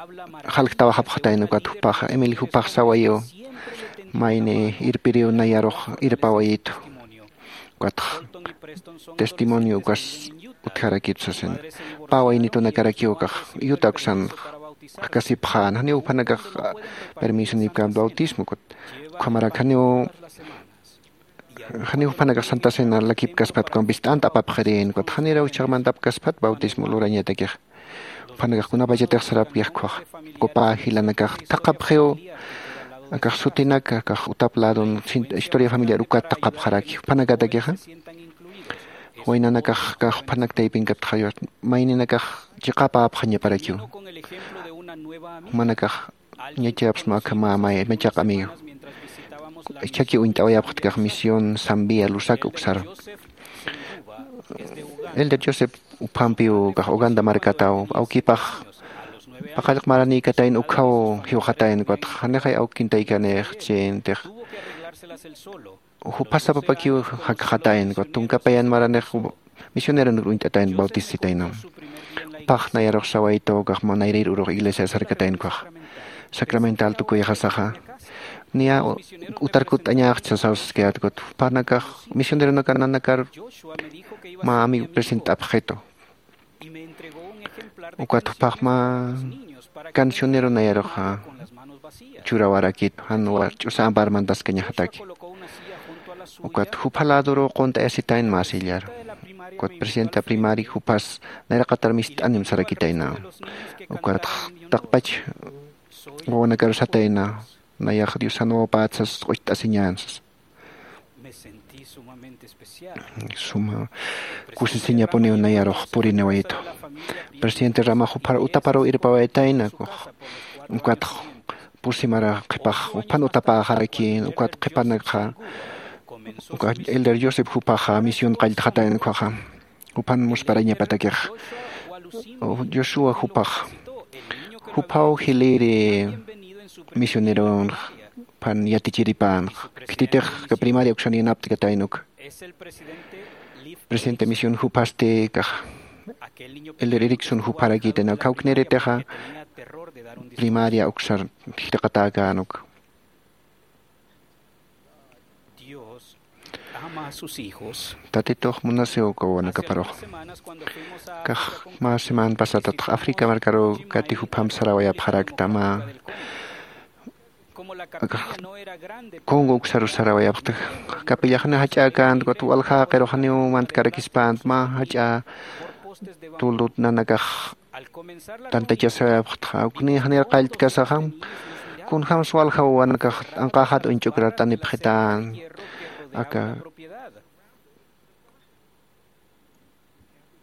jalktawaxapxatayna ukat jupaxa emeli jupax sawayiw mayni irpiriw nayarux irpawayitu ukatx testimonio ukas utjarakitu sasin pä waynitunakarakiw ukax yuta uksan jakasipxän janiw juphanakax permiso nipkän bautismo ukat ukhamarak janiw janiw juphanakax santa cena lakipkaspat ukampis t'anta apapxirïn ukat janiraw ichhaxmantapkaspat bautismo lurañatakixa juphanakax kunapachatix sarapkix ukkhax ukapä jilanakax thaqhapxiw akax sutinak akax utap ladon historia familiar ukat thaqhapxaraki juphanakatakixa waynanakax akax juphanak taypinkatxa mayninakax chiqapäpxañaparakiw jumanakax ñachayapxsma akhamamay machaq amigo ichhaki uñt'awayapxtkax misión sambia lusak uksar elder joseph uphampiw kax uganda markataw awkipax paqallq maranïkatayna ukhaw jiwxatayna ukatx janixay awkintaykanix chintix juphasapapakiw jakxatayna ukat tunka payan maranix misioneronir uñt'atayna bautisitayna upax nayarux sawaytu kax manayrir urux iglesia sarkatayna ukax sacramental tukuyxasaxa niya utar kutt'añaxchi sasaw saskayät ukat jupanakax misioneronakananakar mä amigo present'apxitu Ukat jupax mä cancionero nayaruxa churawarakit, jan wach'usa amparmantaskañaxataki. Ukat jupha ladoru qunt'ayasitayn mä sillar. Ukat presidenta primari jupas nayraqatar mist'anim sarakitayna. Ukat taqpach wawanakaru satayna, nayax Diosan wawapätsas q'ucht'asiñän sas. Suma kusisiñapuniw nayarux puriniwayitu. Presidente Rama juphar utaparuw irpawaytayna, ukat pusimara qhipax juphan utapäxarakïn, ukat qhipanakxa, ukat Elder Joseph jupaxa misión qalltxatayna ukhaxa. Juphan musparañapatakix. Joshua jupax. Juphaw jiliri misioneronx, juphan yatichiripänx. Khititix primaria uksan yanapt'katayna uka. Presidente misión juphasti kax. Elder Erickson jupharakitäna, khawkniritixa primaria uksar jilqatäkän uka. Tatitux munasiw uka wawanakaparux. Kax mä semana pasadatx África markaruw kati jupham sarawayapxarakta mä. Kax Congo uksaru sarawayapxta. Capillajaniw jach'äkänta, ukat walja jaqirux janiw mantkarakispänt, mä jach'a tuldut nanakax tantachasawayapxtxa, ukni janir qalltkasaxam, kunjams walja wawanakax anqäxat uñch'ukrar t'anipxitän. Aka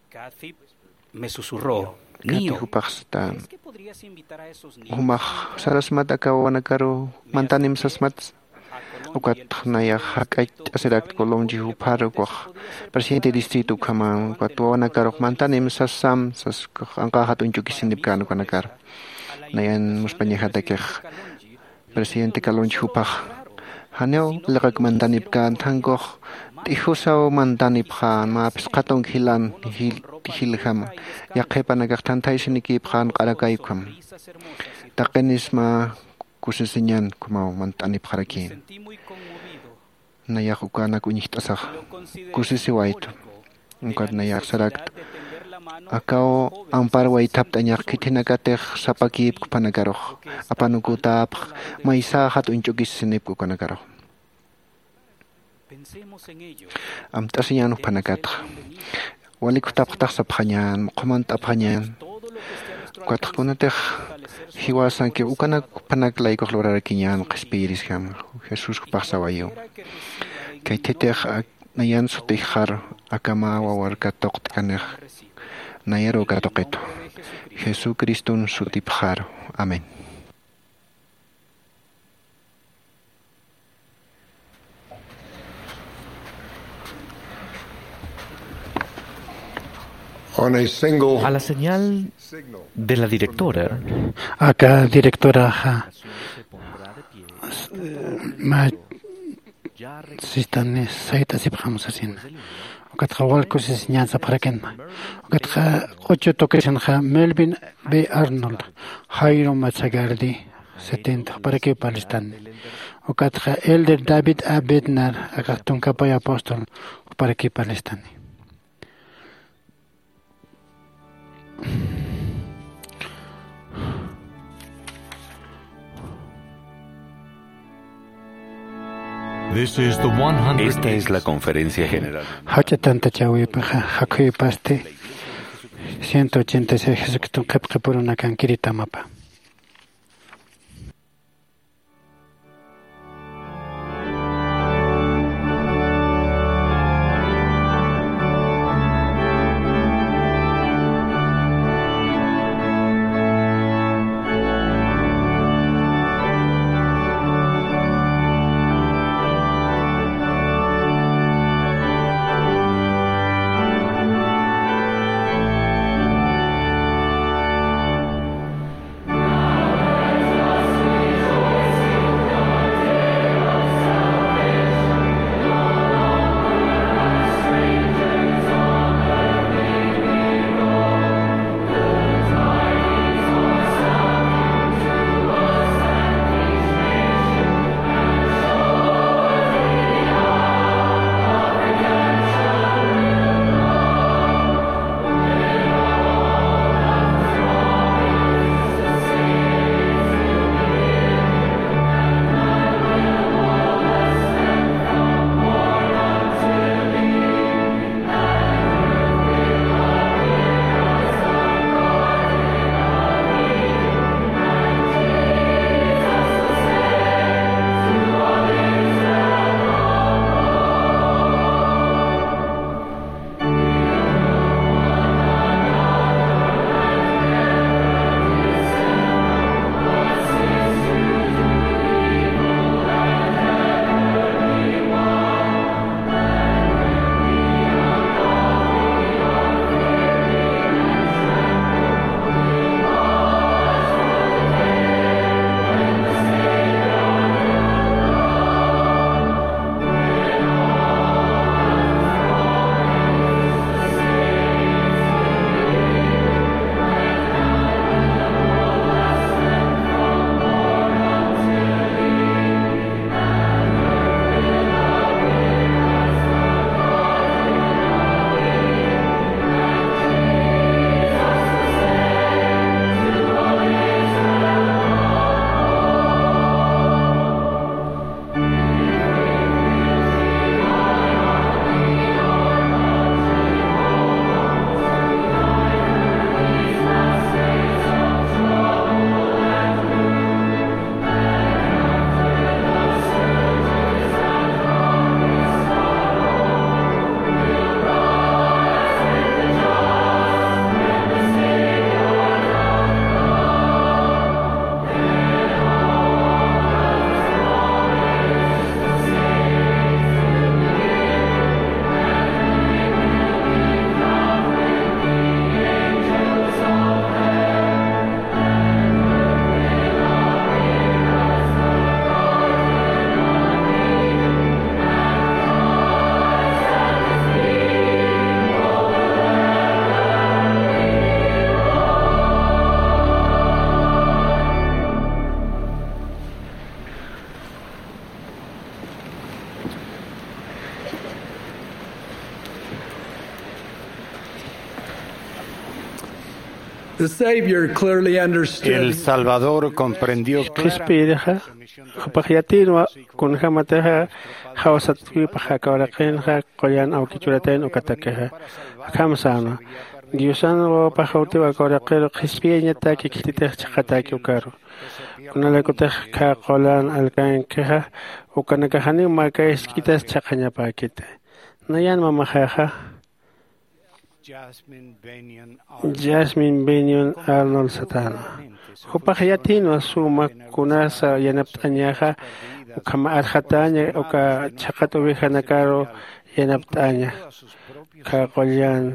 Kathy me susurró, Kati Nio, jupax satan. ¿Crees que podrías invitar a esos niños? Jumax sarasmat aka wawanakaru mantanim sasmat. Ukat nayax jak'acht'asirakt Colonchi jupar ukax presidente distrito ukhaman, ukat wawanakarux mantanim sasam sas, anqäxat uñch'ukisinipkän ukanakar. Nayan muspañajatakix presidente Calonchi jupax janiw liqak mantanipkän, thankux t'ijusaw mantanipxän, mä phisqa tunka jilan jil-, jiljam, yaqhipanakax thanthaysinikiwayapxän q'arakay ukham. Taqinis mä kusisiñan ukhamaw mant'anipxarakïn. Nayax ukanak uñjt'asax kusisiwaytu. Ukat nayax sarakt, akaw ampar waythapt'añax khithinakatix sapakïpk jupanakarux, apanukutäpx, maysäxat uñch'ukisisinipk ukanakarux. Amt'asiñän jupanakatxa. Walik jutapxtax sapxañän, muqhumant'apxañän. Ukatxa kunatix jiwasanki ukanak jupanak laykux lurarakiñän qhispiyirisjam, Jesús jupax sawayiw. Khaythitix ak-, nayan sutixxar akama wawar katuqt'kanix nayaruw katuqitu. Jesucriston sutipxaru. Amén. On a single A la señal signal de la directora, Aka directoraxa, eh, mä sistani sayt'asipxam sasina. Ukatxa wal kusisiñan sapxarakinma. Ukatxa q'uchu tukisinxa Melvin B. Arnold, Jairo Mazzagardi, setenta, juparakiw parlistani. Ukatxa Elder David A. Bednar, akax tunka pay apóstol, juparakiw parlistani. This is the one hundred Esta es la conferencia general. Jach'a tantachäwipaxa, jakhuypasti ciento ochenta y seis Jesucriston qhipqipurunakankiritamapa. The Savior clearly understood. El Salvador comprendió. Qhispiyirixa jupax yatïnwa kunjämatixa jawsatkipax aka uraqinxa qullan awki churatayna ukatakixa. Akham sänwa, Diosan wawapax utiw aka uraqiru qhispiyañataki khititix chhaqhatäki ukaru. Kunalaykutix khä qullan alkankixa ukanakax janiw mä kask'itas chhaqhañapäkiti. Nayan mamaxaxa Jasmine Bennion Arnold satäna. Jupax yatïnwa suma kunasa yanapt'añaxa ukham arxatäña uka chhaqhat ovejanakaru yanapt'aña. Khä qullan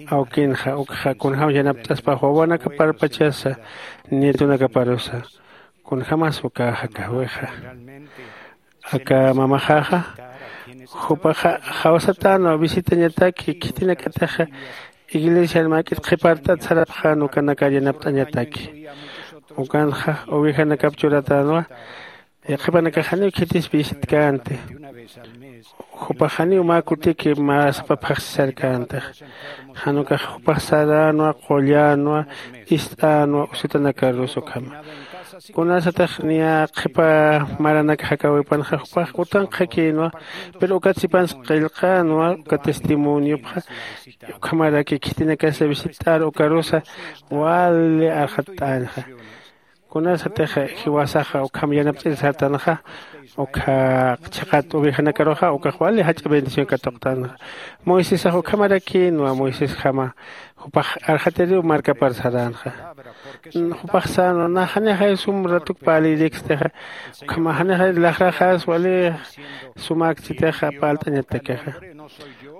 awkinxa ukxa kunjämas yanapt'aspa wawanakaparpachasa nietonakaparusa. Kunjämas ukaxa kajwixa. Aka mamaxaxa jupaxa jawsatänwa visitañataki khitinakatixa iglesiar mäk'it qhipart'at sarapxän ukanakar yanapt'añataki. Ukanxa ovejanakap churatänwa. Yaqhipanakax janiw khitis visitkänti. Jupax janiw mä kutiki mä sapapxaxsisarkäntix. Jan ukax jupax saränwa, qullänwa, ist'änwa usutanakarus ukhama. Kunasatix niya qhipa maranakax jakäwipanxa jupax utanqhakïnwa. Pero ukat sipans qillqänwa uka testimoniopxa. Ukhamaraki khitinakasa visitt'ar ukarusa wali arxatt'änxa. Kunasatix jiwasaxa ukham yanapt'ir sartanxa ukha chhaqhat ovejanakaruxa ukax wali jach'a bendición katuqtanxa. Moisesax ukhamarakïnwa moisesjama jupax arxatiriw markapar saränxa. Jupax sänwa nax janixay sum ratuk parlïrïkstixa ukhama janixay laxraxas wali sumäkchitixa parlt'añatakixa.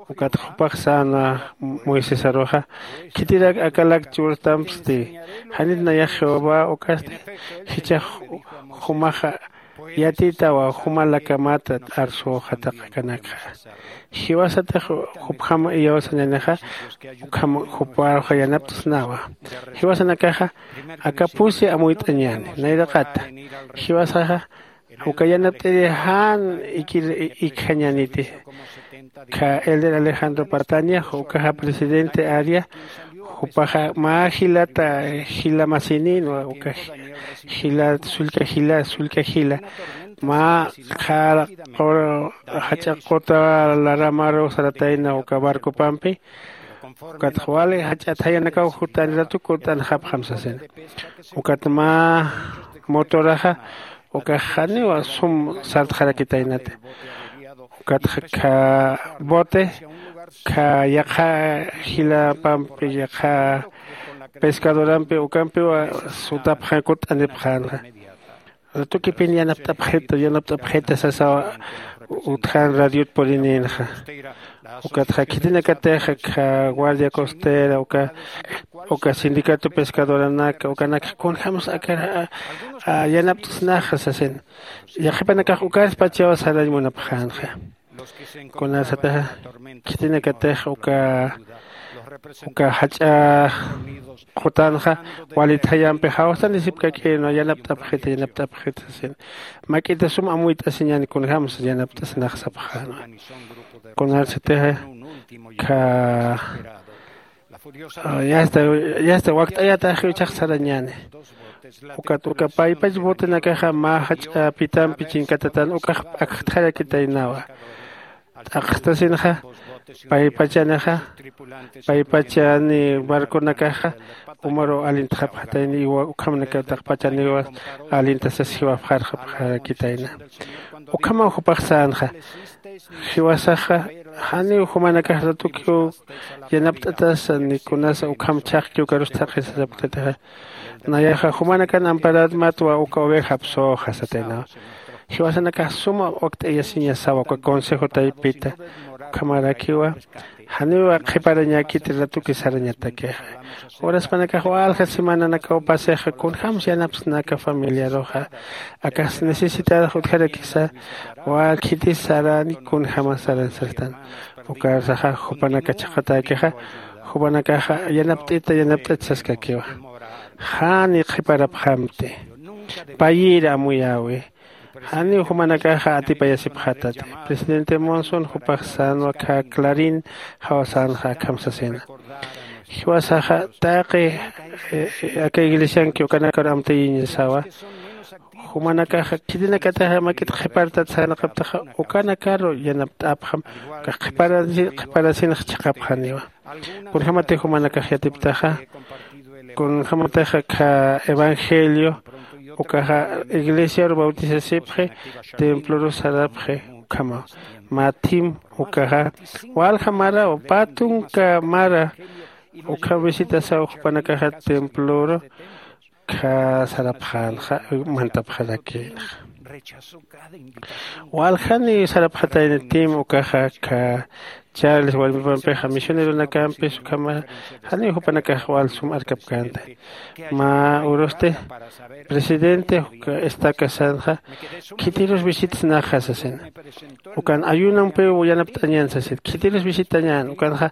Ukatxa jupax sänwa moisesaruxa khitirak akalak churtampsti. Janit nayax jehová ukasti jichhax jumaxa yatitawa jumalakamat arsüxataqakanakxa. Jiwasatix jupjam iyawsañanixa ukham juparuxa yanapt'snawa. Jiwasanakaxa aka pusi amuyt'añäni nayraqata. Jiwasaxa uka yanapt'iri jan ikir ikjañäniti. Kha elder alejandro patania ukaxa presidente aria. Jupaxa mä jilata jila masininwa uka jila sullka jila sullka jila mä qhara qur jach'a quta laramaru saratayna uka barcopampi. Ukatxa wali jach'a thayanakaw jutani ratu kut'anxapxam sasina. Ukat mä motoraxa ukax janiw sum sartxarakitaynati. Ukatxa kha bote kha yaqha jilapampi yaqha pescadorampi ukampiwa sutapxän kut'anipxänxa. Ratukipin yanapt'apxita yanapt'apxita sasawa utjän radiot purininxa. Ukatxa khitinakatix kha guardia costera uka uka sindicato pescadoranaka ukanakxa kunjämsa akar yanapt'snaxa sasin. Yaqhipanakax ukarspachaw sarañ munapxänxa. Kunasataxa khitinakatix uka uka jach'a qutanxa wali thayampi jawsanisipkakïnwa yanapt'apxita yanapt'apxita sasin. Mak'ita sum amuyt'asiñäni kunjämsa yanapt'asnax sapxänwa. Kunasataxa kha yasta yasta wakt'ayatax jichhax sarañäni. Ukat uka paypach botenakaxa mä jach'a pitampi chinkatatan ukax p'akxtxarakitaynawa. T'aqstasinxa paypachanixa paypachani barconakaxa umaru alintxapxatayni iwa ukhamnakataqpachaniwa alintasas jiwapxarxapxarakitayna. Ukhamaw jupax sänxa jiwasaxa janiw jumanakax ratukiw yanapt'atasa ni kunasa ukham chhaqkiw karus thaqhisa sapktatixa. Nayaxa jumanakan amparatmatwa uka ovejapsüxa sataynawa. Jiwasanakax suma wakt'ayasiñasawa uka consejo taypita. Ukhamarakiwa janiwa qhiparañäkiti ratuki sarañatakixa. Uraspanakax walja semananakaw pasixa kunjämsa yanapsnaka familiaruxa. Akax necesitadax utjarakisa wal khitis sarani kunjämas saran sastan. Ukarsaxa jupanaka chhaqatäkixa jupanakaxa yanapt'ita yanapt'it saskakiwa. Jani qhiparapxamti payïri amuyäwi. Janiw jumanakaxa atipayasipxätati. Presidente monson jupax sänwa kha clarin jawsänxa akham sasina. Jiwasaxa taqi aka iglesianki ukanakar amtayiñasawa. Jumanakaxa khitinakataxa mak'it qhipartat sarnaqaptaxa ukanakaru yanapt'apxam. Ukax qhiparasinx chhaqapxaniwa. Kunjämatix jumanakax yatiptaxa, kunjämatixa kha evangelio ukaxa iglesiaru bautisasipxi, temploru sarapxi. Ukhama mä thim ukaxa walja maraw pä tunka mara ukham visitasaw jupanakaxa temploru kha sarapxänxa mantapxarakïnxa. Waljani sarapxatayna tim ukaxa kha charles walmipampixa misioneronakampis ukhama janiw jupanakax wal sum arkapkänta. Mä urusti presidente uka estacasanxa khitirus visitasnaxa sasina. Ukan ayunampiw yanapt'añän sasit khitirus visitañän ukanxa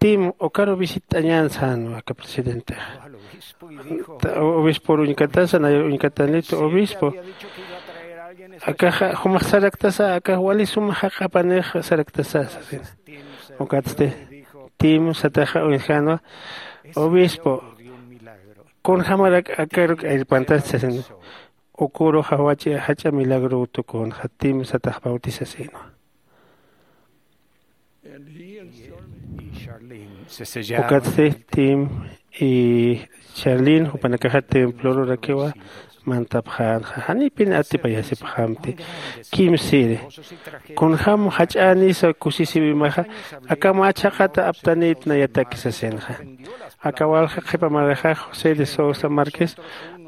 tim ukaru visitañän sänwa aka presidentexa. Obispor uñkatasa nayar uñkatanit obispo akaxa jumax saraktasa akax wali suma jaq'apanix saraktasa sasina. Ukatsti tim sataxa uñjänwa obispo kunjämarak akaruk irpantasti sasina. Ukuruxa jach'a milagruw tukunxa tim satax bautisasïnwa. Ukatsti tim y charlin jupanakaxa templorurakiwa mantapxänxa janipin atipayasipxamti. Kimsiri kunjäm jach'änisa kusisiwimaxa aka mä chhaqata aptanït nayataki sasinxa. Aka walja qhipa marxa josé de sousa marquez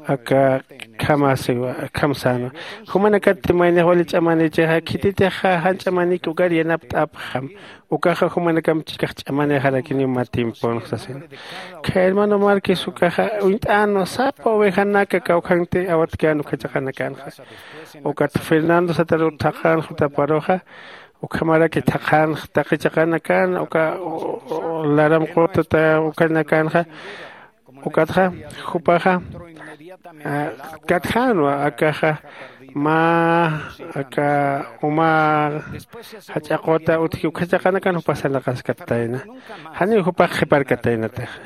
aka khamasiwa khamsänwa. Jumanakatti maynix wali ch'amanichixa khititixa jan ch'amanik ukar yanapt'apxam. Ukaxa jumanakamp chikax ch'amanixarakiniw mä tiemponx sasina. Kha hermano marquez ukaxa uñt'änwa sapa ovejanaka kawkhanti awatkän ukhachaqanakanxa. Ukat fernando sataru thaqhan jutaparuxa ukhamaraki thaqhanx taqi chaqanakan uka laram qutata ukhanakanxa. Ukatxa jupaxa katjänwa akaxa mä aka uma jach'a quta utji ukhachaqanakan jupax sarnaqaskatayna. Janiw jupax qhiparkataynataxa.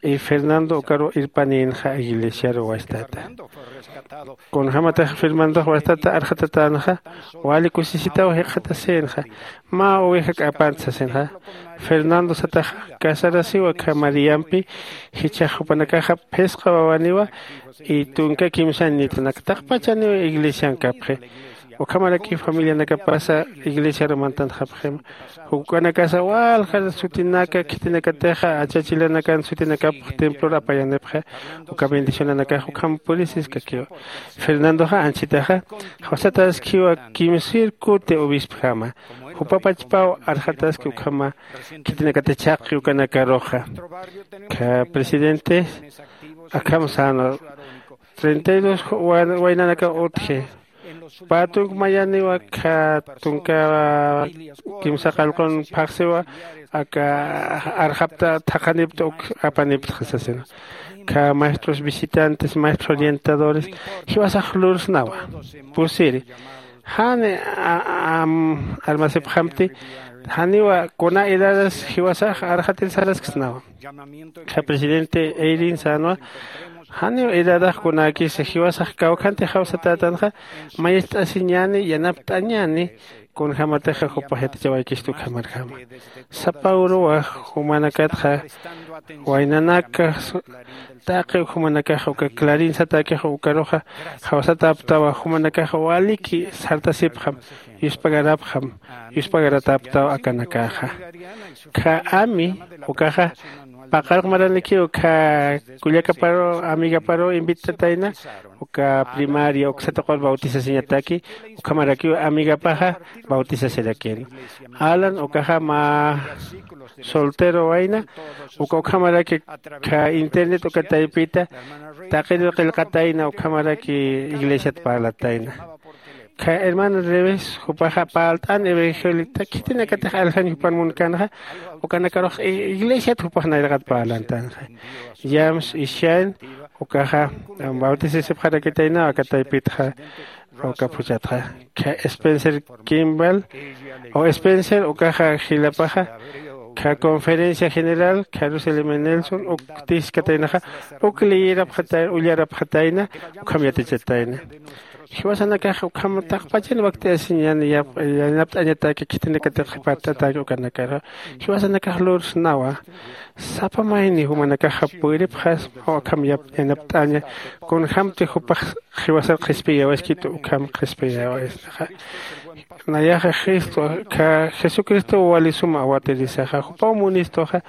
Y fernando ukaru irpanïnxa iglesiaru wastata. Kunjämatix fernandox wastata arxatatänxa wali kusisitaw jikxatasïnxa. Mä oveja k'apant sasinxa. Fernando sataxa casarasiwa kha mariampi jichhax jupanakaxa phisqa wawaniwa y tunka kimsan nitunak taqpachaniwa iglesiankapxi. Ukhamaraki familianakapasa iglesiaru mantanxapxima. Juk'anakasa walja sutinaka khitinakatixa achachilanakan sutinakapx templor apayanipxi. Uka bendicionanakax ukham purisiskakiwa. Fernandoxa anchitaxa jawsataskiwa kimsir kuti obispjama. Jupapachpaw arxataski ukhama khitinakati chhaqi ukanakaruxa. Kha presidente akham sänwa treinta y dos waynanaka utji. Pä tunka mayaniwa kha tunka kimsa qallqun phaxsiwa aka arxapta thaqhanipta uk apanipta sasina. Kha maestros visitantes maestros orientadores jiwasax lursnawa. Pusiri jani armasipxamti janiwa kuna edadas jiwasax arxatir sarasksnawa. Kha presidente eirin sänwa janiw edadax kunäkisa jiwasax kawkhantix jawsatätanxa mayist'asiñäni yanapt'añäni. Kunjämatixa jupax yatichawaykistu ukhamarjama. Sapa uruwa jumanakatxa waynanaka taqi jumanakaxa uka clarin satäkix ukaruxa jawsatäptawa jumanakaxa waliki sartasipxam yuspagarapxam. Yuspagaratäptaw akanakaxa. Kha ami ukaxa paqarq maranikiw kha kullakaparu amigaparu invitatayna uka primaria uksataqur bautisasiñataki. Ukhamarakiw amigapaxa bautisasirakïna. Alan ukaxa mä soltero wayna uka ukhamaraki kha internet uka taypita taqir qillqatayna ukhamaraki iglesiat parlatayna. Kha hermana revés jupaxa parlt'an evangelita khitinakatix aljañ jupan munkanxa. Ukanakarux iglesiat jupax nayraqat parlantanxa. James ishain ukaxa bautisisipxarakitaynaw aka taypitxa. Uka phuchhatxa kha spencer kimbal o spencer ukaxa jilapaxa Kha conferencia general jerusalén nelson uktiskataynaxa, uk liyirapxatayna, ullarapxatayna, ukham yatachatayna. Jiwasanakax ukham taqpachan wakt'asiñan yanapt'añataki khitinakatix qhipart'ataki ukanakara. Jiwasanakax lursnawa, sapa mayni jumanakaxa puyripxasma ukham yanapt'aña. Kunjämti jupax jiwasar qhispiyawaskitu ukham qhispiyawaysnaxa. Nayaxa jesucristo wali suma awatirisaxa jupaw munistuxa.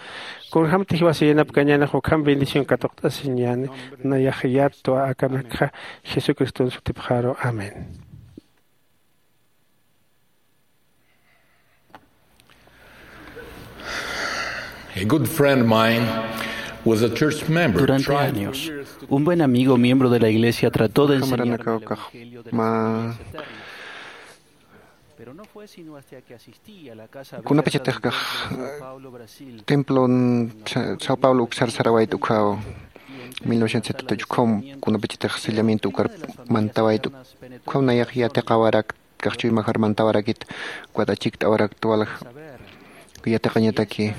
Kunjämti jiwasa yanapkañäni ukham bendición katuqt'asiñäni. Nayaxa yattwa akanakxa jesucriston sutipxaru. Amén. A good friend of mine was a church member. Durante años, un buen amigo miembro de la iglesia trató de enseñar el evangelio de la ma Pero no fue sino hasta que asistí a la casa de kunapachatix kax Sao Paulo, Brasil, templon Sao Paulo uksar sarawayt ukhaw, mil novecientos setenta y ocho ukham kunapachatix sellamiento ukar mantawayt ukhaw nayax yatiqawarak kaxchuy majar mantawarakit, ukat achikt'awarakta walja yatiqañataki.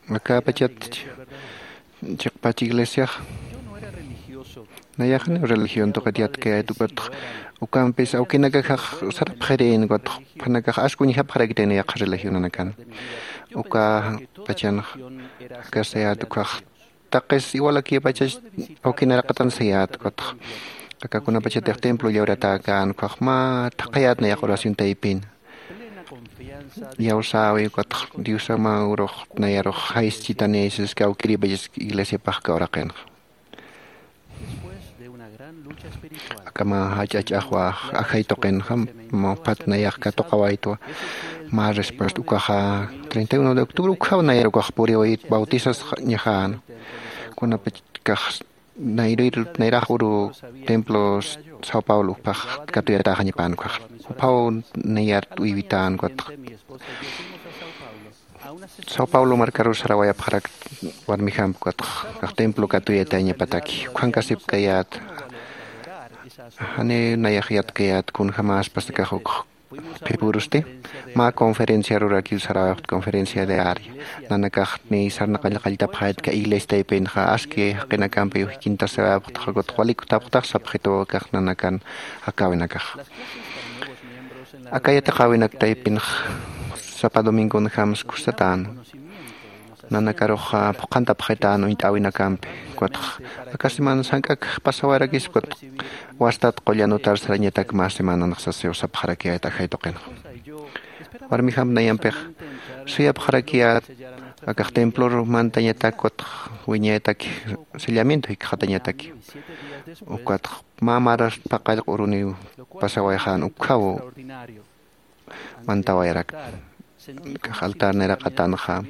Akapachat chiqpach iglesiax nayaxani religión tuqit yatkayat ukatx ukampis awkinakajax sarapxirin ukatx phanakax askuñjapxarakitayna yaqha religionanakan. Uka pachanx akasayat ukhax taqis iwalakiyapachach awkinaraqatan sayat ukatx akakunapachatix templo llawratäkän ukhax mä thaqhayät nayax oración taypin. Iyawsäwi ukatx diosaman urux nayarux jayschitani siski awkiripachas iglesiapax kawraqinxa. Akama jach'ach'axwa ajay tuqinxa maphat nayax katuqawaytwa. Mä respuesta ukaxa treinta y uno de octubre ukhaw nayar ukax puriwayit bautisasñaxän. Kunapachkax nayrir nayrax uru templo sao paulo ukpax katuyatäxañapan ukax. Uphaw nayart uywitän ukatx sao paulo markarur sarawayapxarak warmijamp ukatx kax templo katuyatañapataki ukhankasipkayät. Jani nayax yatkayät kunjämäspasakax ukx qhipurusti mä conferencia rurakiw sarawayapxt conferencia de aria. Nanakax niy sarnaqallaqalltapxaytka iglesia taypinxa aski jaqinakampiw jikintasawayapxtxa ukatx walik utapxtax sapxituw akax nanakan jakäwinakax. Aka yatiqäwinak taypinx sapa domingonjams kusatäna. Nanakarux phuqhantapxitän uñt'äwinakampi ukatx aka semana sank'ak pasawarakis ukatx wastat qullan utar sarañatak mä semananx sasiw sapxarakiyät ajay tuqinxa. Warmijamp nayampix suyapxarakiyät akax templor mantañatak ukatx wiñayataki sellamiento jikxatañataki ukatx mä maras paqallq uruniw pasawayxän ukkhaw mantawayarakta. Kax altar nayraqatanxa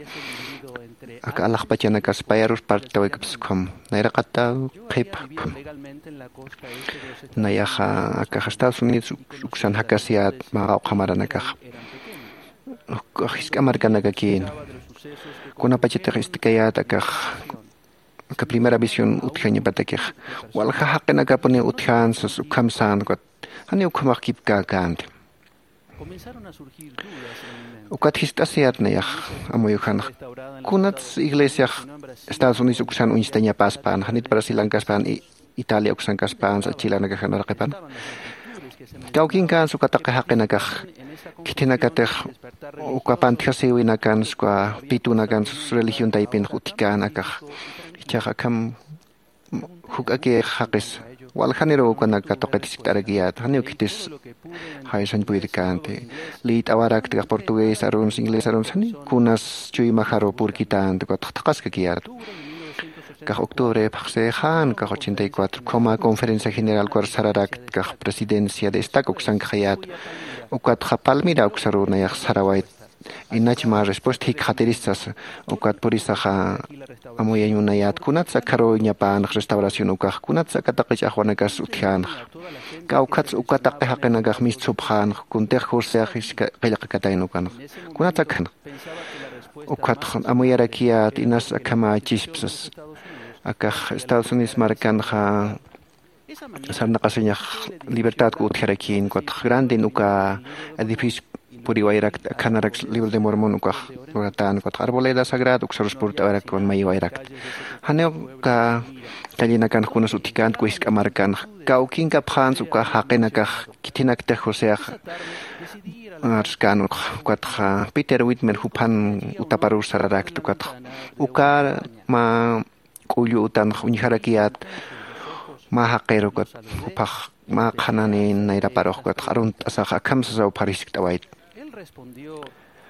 aka alaxpachanakas payarus partawikpskham nayraqataw qhipkham. Nayaxa akax estados unidos uksan jakasiyät mä qawqha maranakaxa jisk'a markanakakïna. Kunapachatix istkayät akax aka primera visión utjañapatakix walja jaqinakapuniw utjän sas ukham sän ukat janiw ukhamax kipkäkänti. Ukat jist'asiyät nayax amuyujanx kunats iglesiax estados unidos uksan uñstañapäspän janit brasilankaspän italia uksankaspänsa chilanakax janaraqipan. Kawkinkänsa uka taqi jaqinakax khithinakatix uka pantjasïwinakans uka pitunakans religión taypinx utjkän akax. Ichhax akham juk'akix jaqis waljaniruw ukanak katuqit jiskt'arakiyät janiw khitis jaysañ puydkänti. Liyt'awarakti kax portugués aruns inglés aruns janiw kunas chuymajaruw purkitänti ukatx thaqhaskakiyät. Kax octubre phaxsixän kax ochenta y cuatro khuma conferencia general ukar sararakti kax presidencia de estaca uksankxayät. Ukatxa palmira uksaruw nayax sarawayt inach mä respuesta jikxatirista sasa. Ukat purisaxa amuyañ munayät kunats akharuw ñapänx restauración ukax kunats aka taqi ch'axwanakas utjänx. Kawkhats uka taqi jaqinakax mistsupxänx kuntix jursayax qillqakatayna ukanx kunats akhanx. Ukatx amuyarakiyät inas akhamächisp sasa. Akax estados unidos markanxa sarnaqasiñax libertadku utjarakïn ukatx grandin uka edificio puriwayrakta, akhanarak libro de Mormon ukax luratän, ukatx arboleda sagrada uksarus purt'awarakta, mayïwayrakta. Janiw uka callinakanx kunas utjkänti, wisq'a markanx kawkinkapxänsa uka jaqinakax khitinaktix Joseax arskän ukxa. Ukatxa Peter Whitmer juphan utaparus sararakta, ukatxa uka mä k'ullu utanx uñjarakiyät mä jaqir, ukat juphax mä qhananin nayraparux, ukatxa arunt'asax akham sasaw phariskikt'awayt.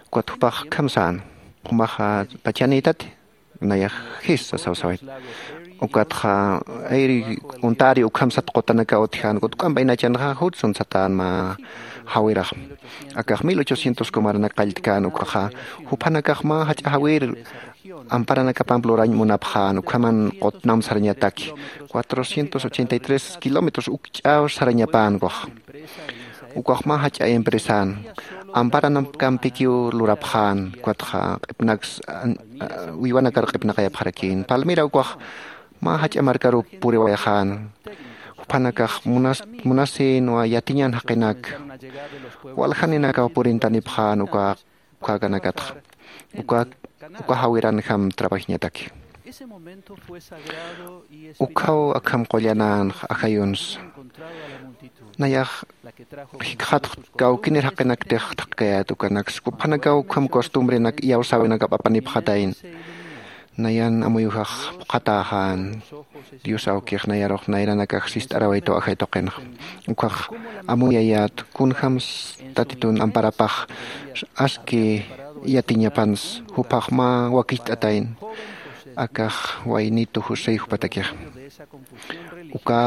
Ukat jupax akham sän, jumaxa pachanïtati, nayax jis sasaw sawayt. Ukatxa ayri untari ukham sat qutanakaw utjän, ukat juk'amp aynachanxa jutsun satän mä jawirax. Akax mil ochocientos kumaranak qalltkän ukaxa, juphanakax mä jach'a jawir amparanakapamp lurañ munapxän, ukhaman qutnam sarañataki, cuatrocientos ochenta y tres kilómetros ukch'aw sarañapän ukax. Ukax mä jach'a empresän, amparankampikiw lurapxän, ukatxa q'ipnaks, an-, a-, uywanakar q'ipnaqayapxarakïn. Palmira ukax mä jach'a markaruw puriwayxän. Juphanakax munas-, munasïnwa yatiñan jaqinak, waljaninakaw purintanipxän uka ukäkanakatxa. Uka, uka jawiranjam trabajiñataki. Ukhaw akham qullanänxa ajayunsa. Nayax jikxatx kawkinir jaqinak thaqkayät ukanaksa. Juphanakaw ukham costumbrenak iyawsäwinakap apanipxatayna. Nayan amuyujax phuqhatäxän. Dios awkix nayarux nayranakax sist'arawaytu ajay tuqinxa. Ukax amuyayät, kunjams Tatitun amparapax aski yatiñapans, juphax mä wakicht'atayna. Akax waynitu José jupatakixa. Uka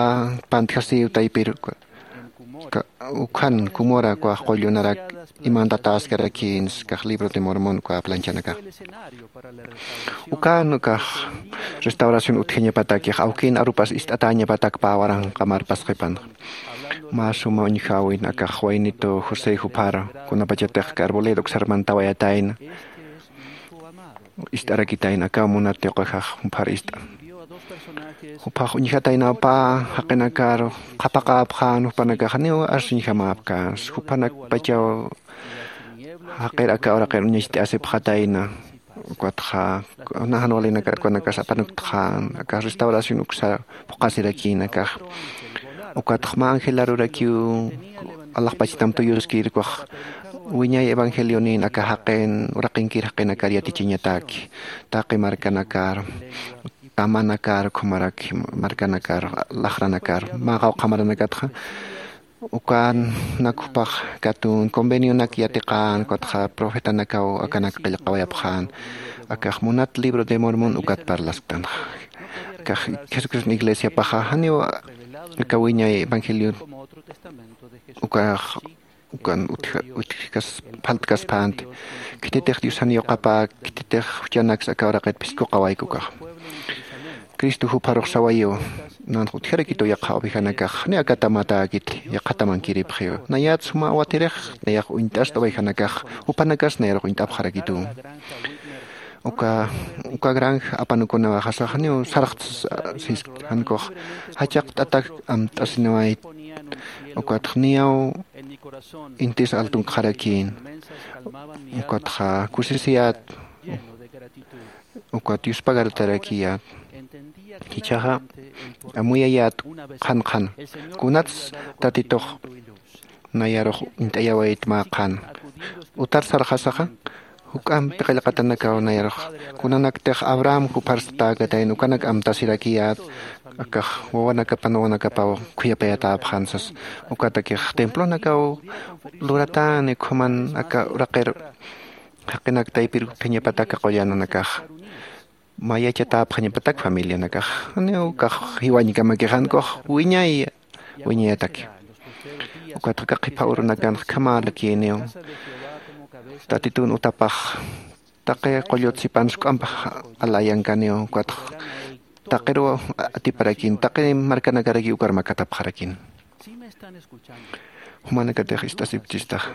pantjasiw taypir uka, ka-, ukhan Cumorä ukax qullunarak imantatäskarakïnsa, akax libro de Mormon uka planchanakax. Ukan ukax restauración utjañapatakix, awkin arupas ist'atäñapatak pä waranqa marpasqipan. Mä suma uñjäwin, akax waynitu José juphar, kunapachatix aka arboleda uksar mantawayatayna. Ist'arakitayna, akaw munat tuqijax juphar ist'a. Juphax uñjataynaw pä jaqinakar qhapaqäpxän, jupanakax janiw arsuñjamäpkänsa, jupanakpachaw jaqir aka uraqir uñacht'asipxatayna. Ukatxa, kuna jan walinakat ukanakas apanuktxän, akax restauración uksa phuqasirakïn akax. Ukatxa mä angelarurakiw alaxpachtam tuyuskir ukax wiñay evangelionin aka jaqin, uraqinkir jaqinakar yatichañataki. Taqi markanakar, tamanakar, ukhamaraki markanakar, laxranakar, mä qawqha maranakatxa, ukanak jupax katun convenionak yatiqän, ukatxa profetanakaw akanak qillqawayapxän. Akax munat libro de Mormon ukat parlasktanxa. Akax Jesucriston iglesiapaxa janiw aka wiñay evangelio ukax, ukan utja-, utjkas, phaltkaspänti. Khititix Diosan yuqapäk, khititix juchanaks aka uraqit phiskuqawayku ukax. Cristo jupharux sawayiw, nanx utjarakitu yaqha ovejanakax, ni akata matäkiti, yaqhata mankiripxiw. Nayat suma awatirix, nayax uñt'asta ovejanakax, jupanakas nayarux uñt'apxarakitu. Uka, uka granja apanukunawaxasa janiw sarxtas, sis, jankux jachaqt'atak amt'asinawayt, ukatx niyaw intis altunkxarakïn, ukatxa kusisiyät, ukat yuspagartarakiyät. Jichhaxa amuyayät qhan qhan, kunats Tatitux nayarux uñt'ayawayt mä qhan. Utar sarxasaxa, juk'ampi qillqatanakaw nayarux, kunanaktix Abraham jupharstatäkatayna ukanak amtasirakiyät, akax wawanakapan wawanakapaw khuyapayatäpxän sas. Ukatakix templonakaw luratäni, ukhaman aka uraqir jaqinak taypir utjañapatak aka qullananakax. Mä yachatäpxañapatak familianakax. Janiw ukax jiwañkamakix, jankux wiñay, wiñayataki. Ukatxa aka qhipa urunakanx ukhamärakïniw. Tatitun utapax taqi qullut sipans juk'amp alayankaniw, ukatx taqiruw atiparakïn, taqi markanakarakiw ukar makatapxarakïn. Jumanakatix ist'asipchistaxa.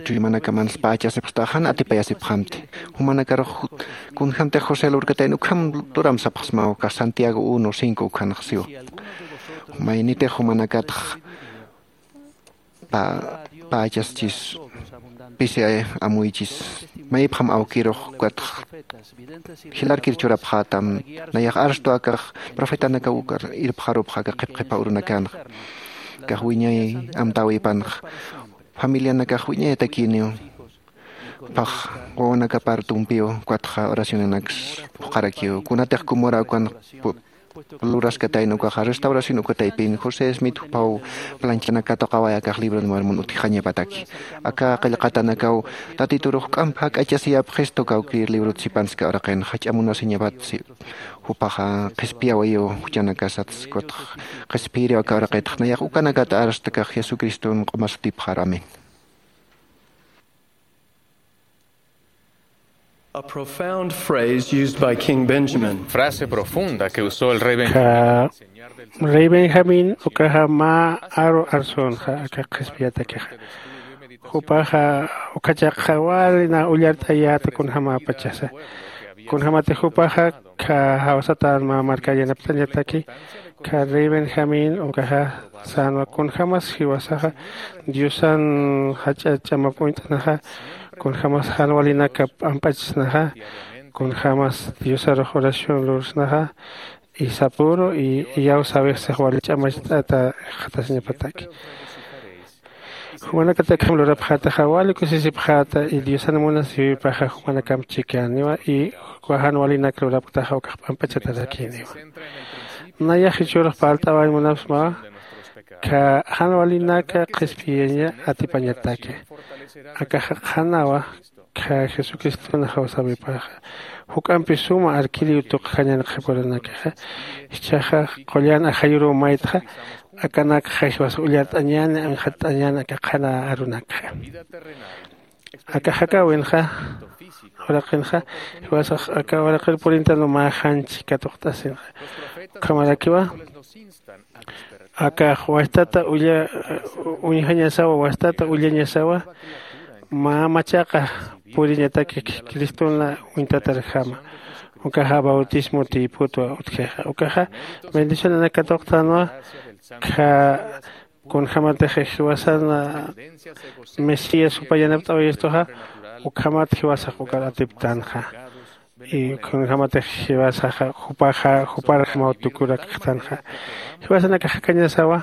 Chuymanakamansa pächasipxtaxa, jan atipayasipxamti. Jumanakarux kunjämtix José lurkatayna ukham luram sapxsmaw, ukax Santiago uno cinco ukhanx siwa. Maynitix jumanakatx pä-, pächaschis. Pisi amuychis maypxam awkirux ukatx jilarkir churapxätam. Nayax arstu akax profetanakaw ukar irpxarupxa aka qhipqhipa urunakanxa. Akax wiñay amtäwipanxa familianakax wiñayatakiniw. Jupax wawanakapar tumpiw ukatxa oracionanaks phuqharakiw kunatix kumura ukan luraskatayna ukaxa restauración uka taypin josé smith jupaw planchana katuqaway akax libro de marmon utjixañapataki. Aka qillqatanakaw tatiturux juk'amp jak'achasiyapxista uka awkir librot sipanska uraqinxa jach'a munasiñapatsi. Jupaxa qhispiyawayiw juchanakasatsi ukatx qhispiyiriw aka uraqitx nayax ukanakata arstakax jesucriston q'umasatipxar amén. A profound phrase used by King Benjamin. Frase profunda que usó el rey Benjamín. Rey Benjamín ukaxa mä aru arsunxa aka qhispiyatakixa. Jupaxa ukhachaqxa wali na ullart'ayäta kunjämäpachasa. Kunjämatix jupaxa kha jawsatan mä markar yanapt'añataki. Kha rey Benjamín ukaxa sänwa kunjämas jiwasaxa diosan jach'a ch'amap uñt'anaxa, kunjämas jan walinaka p'amp'achsnaxa, kunjämas diosarux oración lursnaxa, y sapüru y iyawsäwix six wali ch'amacht'ata jikxatasiñapataki. Jumanakatakjam lurapxätaxa wali kusisipxäta y diosan munasïwipaxa jumanakamp chikaniwa y uka jan walinak lurapktaxa ukax p'amp'achatarakiniwa. Nayax jichhürux parlt'awañ munapxsmawa. Kha jan walinaka qhispiyaña atipañataki. Akaxa qhanawa kha jesucristona jawsäwipaxa. Juk'ampi suma arkiriw tuqjañan qhipürunakaxa. Jichhaxa qullan ajayuruw maytxa akanakxa jiwasa ullart'añäni anxatt'añäni aka qhana arunakxa. Aka jakäwinxa uraqinxa jiwasax aka uraqir purintanwa mä janchi katuqt'asinxa. Ukhamarakiwa akax wajtata uñjañasawa wajtata ullañasawa. Mä machaqa puriñataki cristona uñtatarjama. Ukaxa bautismo tiyputwa utjixa ukaxa bendicionanak katuqtänwa. Kha kunjämatix jiwasan mesías jupa yanapt'awayistuxa ukhamat jiwasax ukar atiptänxa. Y kunjämatix jiwasaxa jupaxa juparjamaw tukurakxtanxa. Jiwasanakax jakañasawa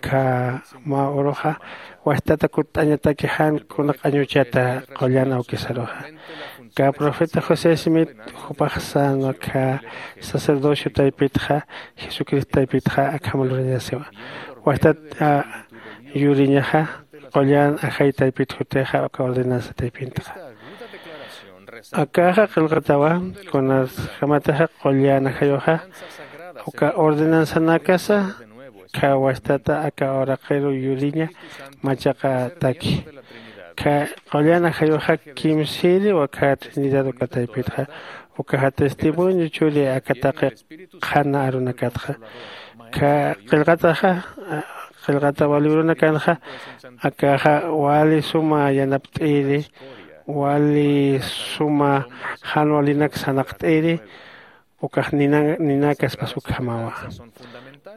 kha mä uruxa wajtata kutt'añataki jan kuna q'añuchata qullan awkisaruxa. Kha profeta josé smith jupax sänwa kha sacerdocio taypitxa jesucristo taypitxa akham lurañasiwa. Wajtat yuriñaxa qullan ajay taypit jutixa uka ordenanza taypintxa. Akaxa qillqatawa kunasjamatixa qullan ajayuxa uka ordenanzanakasa kha wajtata aka uraqiru yuriña machaqataki. Kha qullan ajayuxa kimsïri wakha trinidad uka taypitxa ukaxa testimonio churi aka taqi qhana arunakatxa. Kha qillqataxa qillqatawa libronakanxa akaxa wali suma yanapt'iri wali suma jan walinak sanaqt'iri ukax ninakaspas ukhamawa.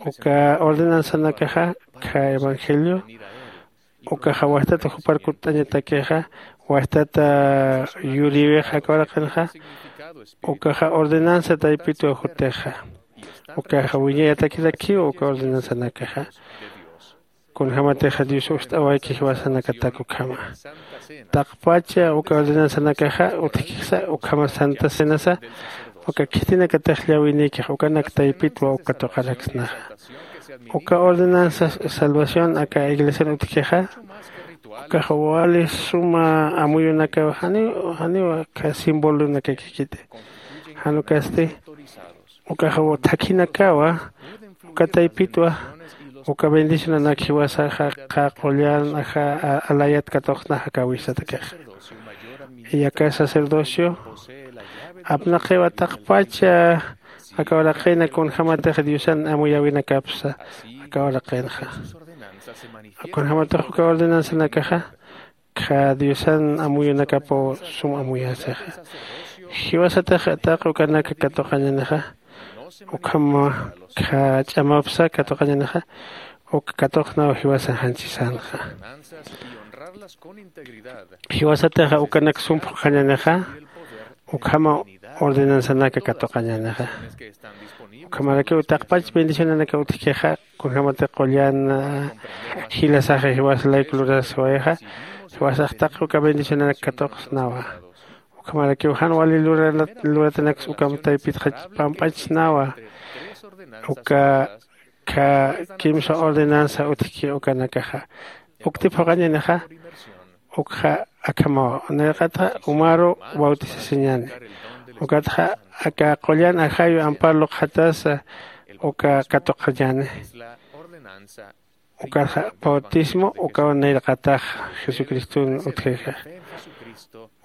Uka ordenanzanakaxa kha evangelio ukaxa wajtata jupar kutt'añatakixa wajtata yurïwixa aka uraqinxa ukaxa ordenanza taypitwa jutixa. Ukaxa wiñayatakirakiw uka ordenanzanakaxa. Kunjämatixa dios ust'awayki jiwasanakatak ukhama taqpacha uka ordenanzanakaxa utjkisa ukhama santa cenasa uka khitinakatix llawinïkix ukanak taypitwa uk katuqaraksnaxa. Uka ordenanza salvación aka iglesian utjkixa ukax wali suma amuyunakaw janiw janiw aka simbolonakakikiti. Jan ukasti ukax thakhinakawa uka taypitwa uka bendicionanak jiwasaxa qha qullan aja alayat katuqsnaxa aka wisatakixa. Yaka sacerdocio apnaqiwa taqpacha aka uraqina kunjämatix diosan amuyäwinakapsa aka uraqinxa. Kunjämatix uka ordenanzanakaxa kha diosan amuyunakapaw sum amuyasixa. Jiwasatix taqi ukanaka katuqañanixa ukham kha ch'amapsa katuqañanixa uk katuqnaw jiwasan janchisanxa. Jiwasatixa ukanak sum phuqhañänixa, ukhama ordenanzanaka katuqañänixa. Ukhamarakiw taqpach bendicionanaka utjkixa, kunjämatix qullan jilasaxa jiwas layku lurasiwayixa, jiwasax taqi uka bendicionanak katuqsnawa. Ukhamarakiw jan wali luratanaksa ukham taypitxa pamp'achsnawa. Uka kha kimsa ordenanza utjki ukanakaxa, ukti phuqhañänixa. Ukxa akhamawa, nayraqatxa umaru bautisasiñäni. Ukatxa aka qullan ajayu ampar luqxatasa uka katuqañäni. Ukatxa bautismo ukaw nayraqatax jesucriston utjixa.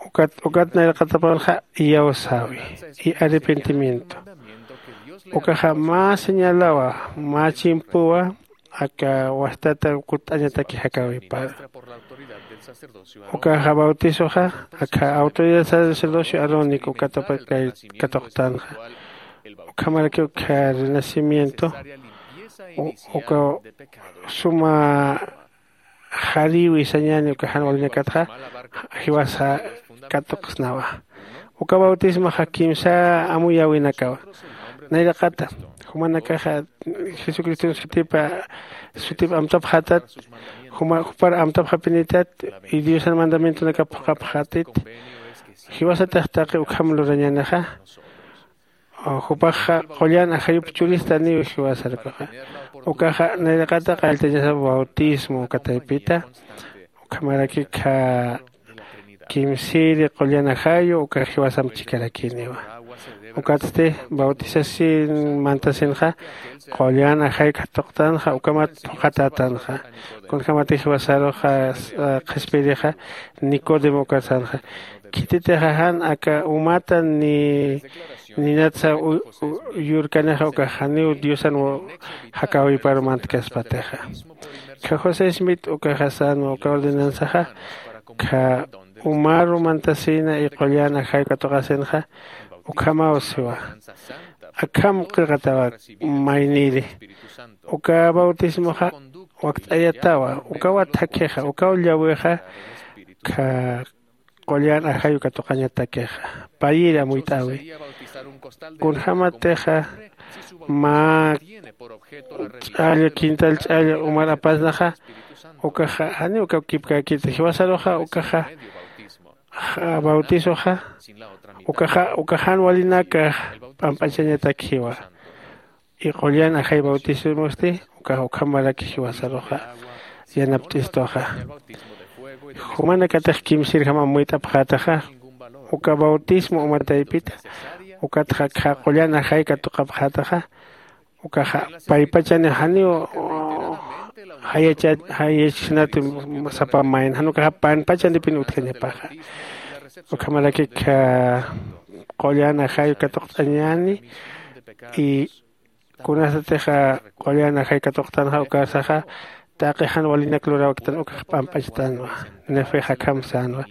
Ukat ukat nayraqatapanxa iyawsäwi y arrepentimiento. Ukaxa mä señalawa, mä chimpuwa aka wastata kutt'añataki jakäwiparu. Ukaxa bautizoxa akha autoridad sacerdocio arónico ukatapa katuqtanxa. Ukhamarakiw kha renacimiento uka suma jariwi sañäni uka jan walinakatxa jiwasa katuqsnawa. Uka bautismaxa kimsa amuyäwinakawa. Nayraqata jumanakaxa jesucriston sutipa sutip amtapxätat, juma jupar amtapxapinitat y diosan mandamientonakap phuqhapxätit. Jiwasatix taqi ukham lurañänixa. Jupaxa qullan ajayup churistaniw jiwasarukaxa. Ukaxa nayraqata qalltañasa bautismo uka taypita. Ukhamaraki kha kimsiri qullan ajayu uka jiwasamp chikarakiniwa. Ukatsti bautisasin mantasinxa qullan ajay katuqtanxa ukamat phuqhatätanxa. Kunjämatix jiwasaruxa qhispirixa nicodemo ukarsanxa, khititixa jan aka umata ni ninatsa yurkanixa ukax janiw diosan jakäwiparu mantkaspatixa. Kha josé smith ukaxa sänwa uka ordenanzaxa kha umaru mantasina y qullan ajay katuqasinxa. Ukhamaw siwa, akham qillqatawa mayniri. Uka bautismoxa wakt'ayatawa ukawa thakhixa ukaw llawixa. Kha qullan ajayu katuqañatakixa payiri amuyt'äwi. Kunjämatixa mä ch'alla quintal ch'alla umar apasnaxa ukaxa janiw ukaw kipkäkiti jiwasaruxa ukaxa bautizoxa ukaxa uka jan walinaka p'amp'achañatakjiwa. Y qullan ajay bautismosti ukax ukhamaraki jiwasaruxa yanapt'istuxa. Jumanakatix kimsirjam amuyt'apxätaxa uka bautismo uma taypita ukatxa kha qullan ajay katuqapxätaxa. Ukaxa paypachani janiw jayachisnati sapa mayna jan ukaxa panpachanipin utjañapaxa. Ukhamaraki kha qullan ajay katuqt'añäni. Y kunasatixa qullan ajay katuqtanxa ukarsaxa taqi jan walinak luräwktan ukax p'amp'achtanwa. Nefex akham sänwa.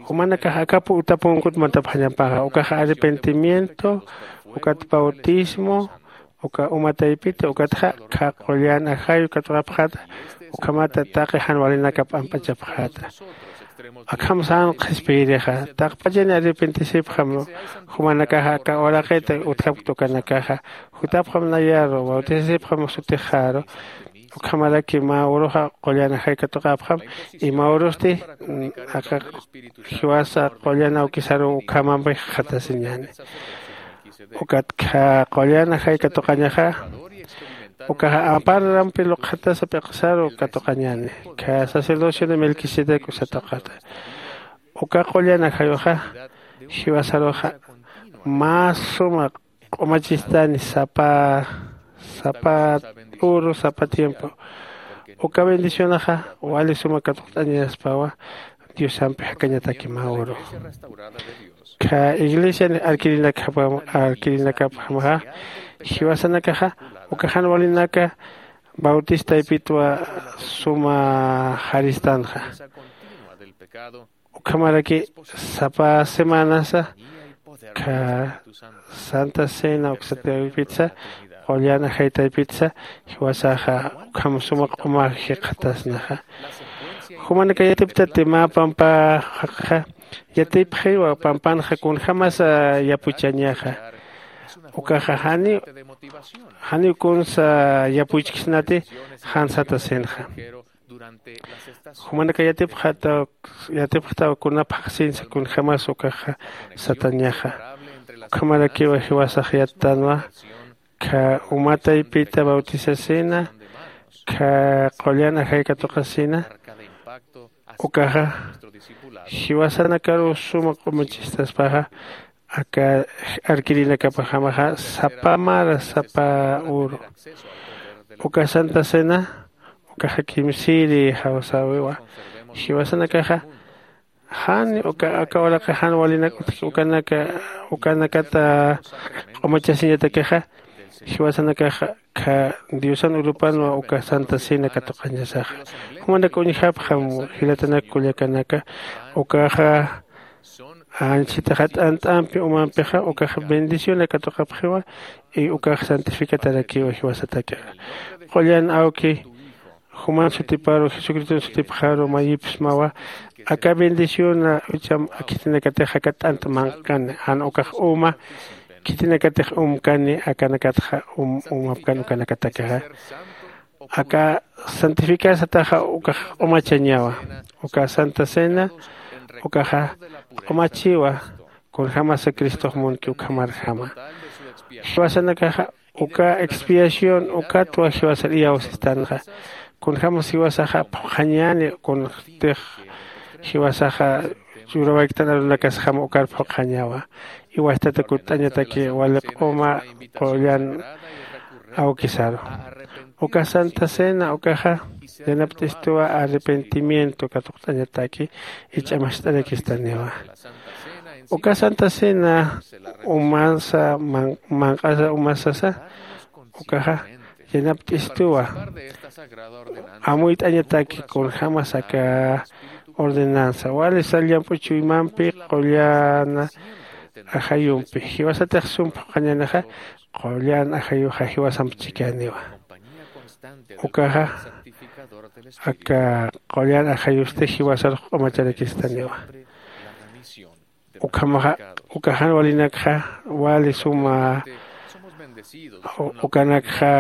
Jumanakax akap utapunkut mantapxañapaxa ukaxa arrepentimiento ukat bautismo uka uma taypita ukatxa kha qullan ajayu katuqapxäta. Ukhamata taqi jan walinaka p'amp'achapxäta. Akham sän qhispiyirixa taqpachani arrepentisipxam jumanakaxa aka uraqita utjapkta ukanakaxa jutapxam nayaru bautisasipxam sutixaru. Ukhamaraki mä uruxa qullan ajay katuqapxam y mä urusti aka jiwasa qullan awkisaruw ukhamampi jikxatasiñäni. Ukat kha qullan ajay katuqañaxa ukaxa amparampi luqxatasa p'iqsaru katuqañäni. Kha sacerdocio de melquisedec usa tuqata uka qullan ajayuxa jiwasaruxa mä suma q'umachistani sapa sapa uru sapa tiempo. Uka bendicionaxa wali suma katuqt'añaspawa diosampi jakañataki mä uru. Kha iglesiani arkirinakapxamaxa jiwasanakaxa uka jan walinaka bautistaypitwa suma jaristanxa. Ukhamaraki sapa semanasa kha santa cena uksataypitsa qullan ajaytaypitsa jiwasaxa ukham suma q'uma jikxatasnaxa. Kumanaka yatiptati mä pampaxa yatipxiwa pampanxa kunjämasa yapuchañaxa. Ukaxa janiw janiw kunsa yapuchksnati jan satasinxa. Jumanaka yatipxataw yatipxtaw kuna phaxsinsa kunjämas ukaxa satañaxa. Ukhamarakiwa jiwasax yattanwa kha uma taypita bautisasina kha qullan ajay katuqasina. Ukaxa jiwasanakaruw suma q'umachistaspaxa aka arkirinakapajamaxa sapa mara sapa uru. Uka santa cena ukaxa kimsiri jawsäwiwa. Jiwasanakaxa jan uka aka uraqi jan walinak utjki ukanaka ukanakata q'umachasiñatakixa jiwasanakaxa kha diosan urupanwa uka santa cena katuqañasaxa. Jumanak uñjapxam jilatanak kullakanaka ukaxa anchhitaxa t'ant'ampi umampixa ukaxa bendición katuqapxiwa. Y ukax santificatarakiwa jiwasatakixa qullan awki juman sutiparu jesucriston sutipxaru mayipsmawa. Aka bendición ucha khitinakatix aka t'ant manqani jan ukax uma khitinakatix umkani akanakatxa umapkan ukanakatakixa aka santificar sataxa ukax q'umachañawa. Uka santa cena ukaxa q'umachiwa kunjämasa cristox munki ukhamarjama. Jiwasanakaxa uka expiación ukatwa jiwasar iyawsistanxa. Kunjämas jiwasaxa phuqhañäni kunxtix jiwasaxa churawayktan arunakasjama ukar phuqhañawa. Iwastata kutt'añataki wali q'uma qullan awkisaru uka santa cena ukaxa yanapt'istuwa arrepentimiento katuqt'añataki. Ich'amacht'arakistaniwa uka santa cena umansa manq'asa umasasa ukaxa yanapt'istuwa amuyt'añataki kunjämas aka ordenanza wali sal llamp'u chuymampi qullana ajayumpi jiwasatix sum phuqhañänixa qullan ajayuxa jiwasamp chikaniwa. Ukaxa aka qullan ajayusti jiwasarux q'umacharakistaniwa. Ukhamaxa uka jan walinakxa wali suma ukanakxa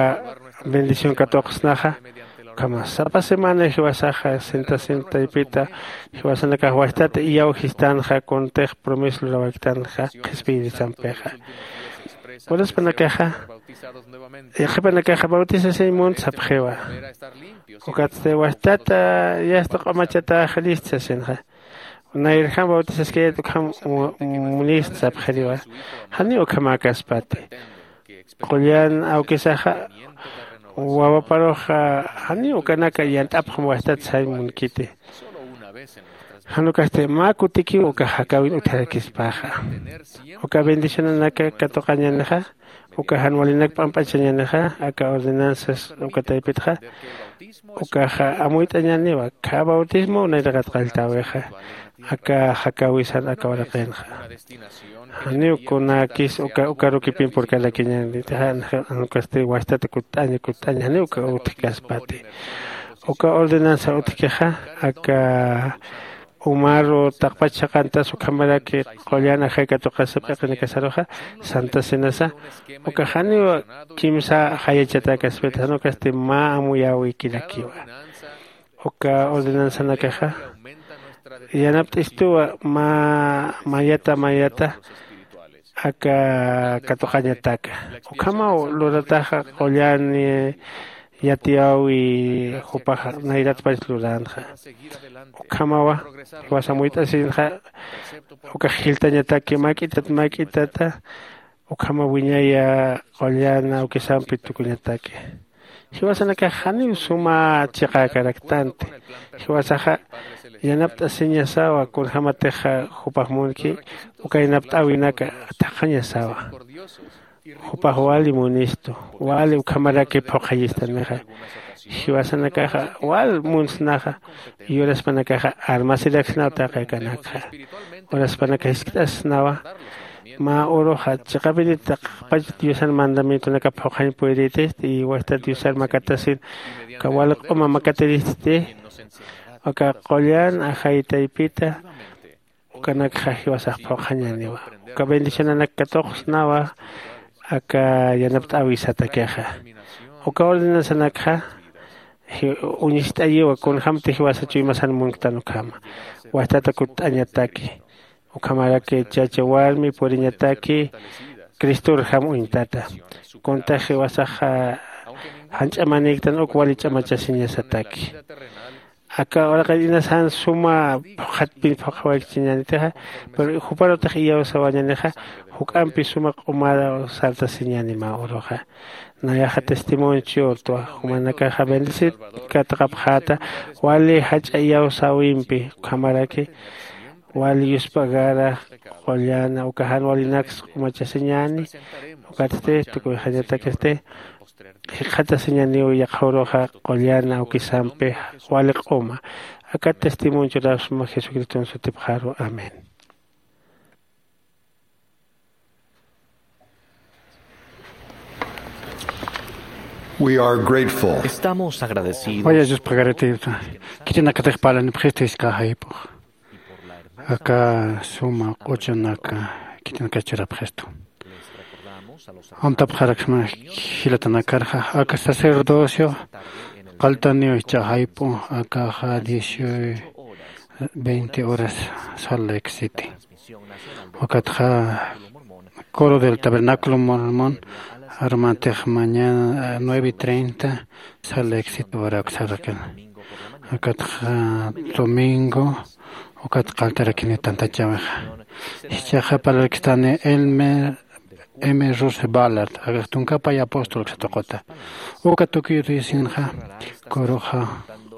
bendición katuqsnaxa. Ukhama sapa semana jiwasaxa sentasin taypita jiwasanakax wajtat iyawjistanxa kuntix promesa lurawaktanxa qhispiyirisampixa. Uraspanakaxa yaqhipanakaxa bautisasiñ munt sapxiwa. Ukatsti wajtata yasta q'umachatax list sasinxa. Nayrjam bautizaskayat ukham munist sapxiriwa. Janiw ukhamäkaspati qullan awkisaxa wawaparuxa janiw ukanaka yant'apxam wajtat sañ munkiti. Jan ukasti mä kutikiw uka jakäwin utjarakispaxa uka bendicionanaka katuqañänixa uka jan walinak p'amp'achañänixa aka ordenanzas uka taypitxa ukaxa amuyt'añäniwa. Khä bautismo nayraqat qalltäwixa aka jakäwisan aka uraqinxa. Janiw kunäkis uka ukarukipin purkarakiñänitixa jan ukasti wajtat kutt'aña kutt'aña janiw uka utjkaspati. Uka ordenanza utjkixa aka umaru taqpach saqantas ukhamaraki qullan ajay katuqasa p'iqinakasaruxa santa cenasa uka janiw kimsa jayachatäkaspita jan ukasti mä amuyäwikirakiwa. Uka ordenanzanakaxa yanapt'istuwa mä mayata mayata aka katuqañataka. Ukhamaw lurataxa qullan yatiyäwi jupaxa nayratpach luränxa. Ukhamawa jiwasamuyt'asinxa ukax jiltañataki mäk'itat mäk'itata ukhama wiñaya qullan awkisampi tukuñataki. Jiwasanakax janiw suma chiqäkaraktanti. Jiwasaxa yanapt'asiñasawa kunjämatixa jupax munki uka yanapt'äwinaka thaqhañasawa. Jupax wali munistu wali ukhamaraki phuqhayistanixa. Jiwasanakaxa wal munsnaxa. Yuraspanakaxa armasiraksnaw taqi akanakxa. Uraspanaka jiskt'asnawa mä uruxa chiqapirit taqpach diosan mandamientonaka phuqhañ puyritisti y wajtat diosar makatasin uka wali q'uma makatiristi. Aka qullan ajay taypita ukanakxa jiwasax phuqhañäniwa. Uka bendicionanak katuqsnawa aka yanapt'äwisatakixa. Uka ordenanzanakxa uñist'ayiwa kunjämti jiwasa chuymasan munktan ukhama. Wajtata kutt'añataki ukhamaraki chacha warmi puriñataki cristorjam uñtata. Kuntax jiwasaxa janch'amanïktan uk wali ch'amachasiñasataki. Aka uraqin inas jan suma phuqhatpin phuqhawaykichiñänitixa, pero juparutix iyawsawañänixa juk'ampi suma q'umar sartasiñäni mä uruxa. Nayaxa testimonio churtwa jumanakaxa bendecir katqapxäta wali jach'a iyawsäwimpi ukhamaraki wali yuspagara qullana uka jan walinaksa q'umachasiñäni. Ukatsti tukuyxañatakisti jikxatasiñäniw yaqha uruxa qullana awkisampi wali q'uma. Aka testimonio churasma jesucriston sutipxaru amén. We are grateful. Estamos agradecidos. Waya Dios pagarete khitinakatix parlanipxistu jisk'a jayp'ux aka suma q'uchunaka khitinakachurapxistu. Amtapxaraksma jilatanakarxa aka sacerdocio qaltaniw jichha jayp'u akaxa dieciocho veinte horas. Salt Lake City ukatxa coro del tabernaculo mormon armantix mañana nueve y treinta. Salt Lake City urak saraqin ukatxa domingo ukat qaltarakini tantachäwixa. Jichhaxa parlarakistani elmer m rose ballard akax tunkapay apostol ksatuquta uka tukiyu tuyasinxa kuruxa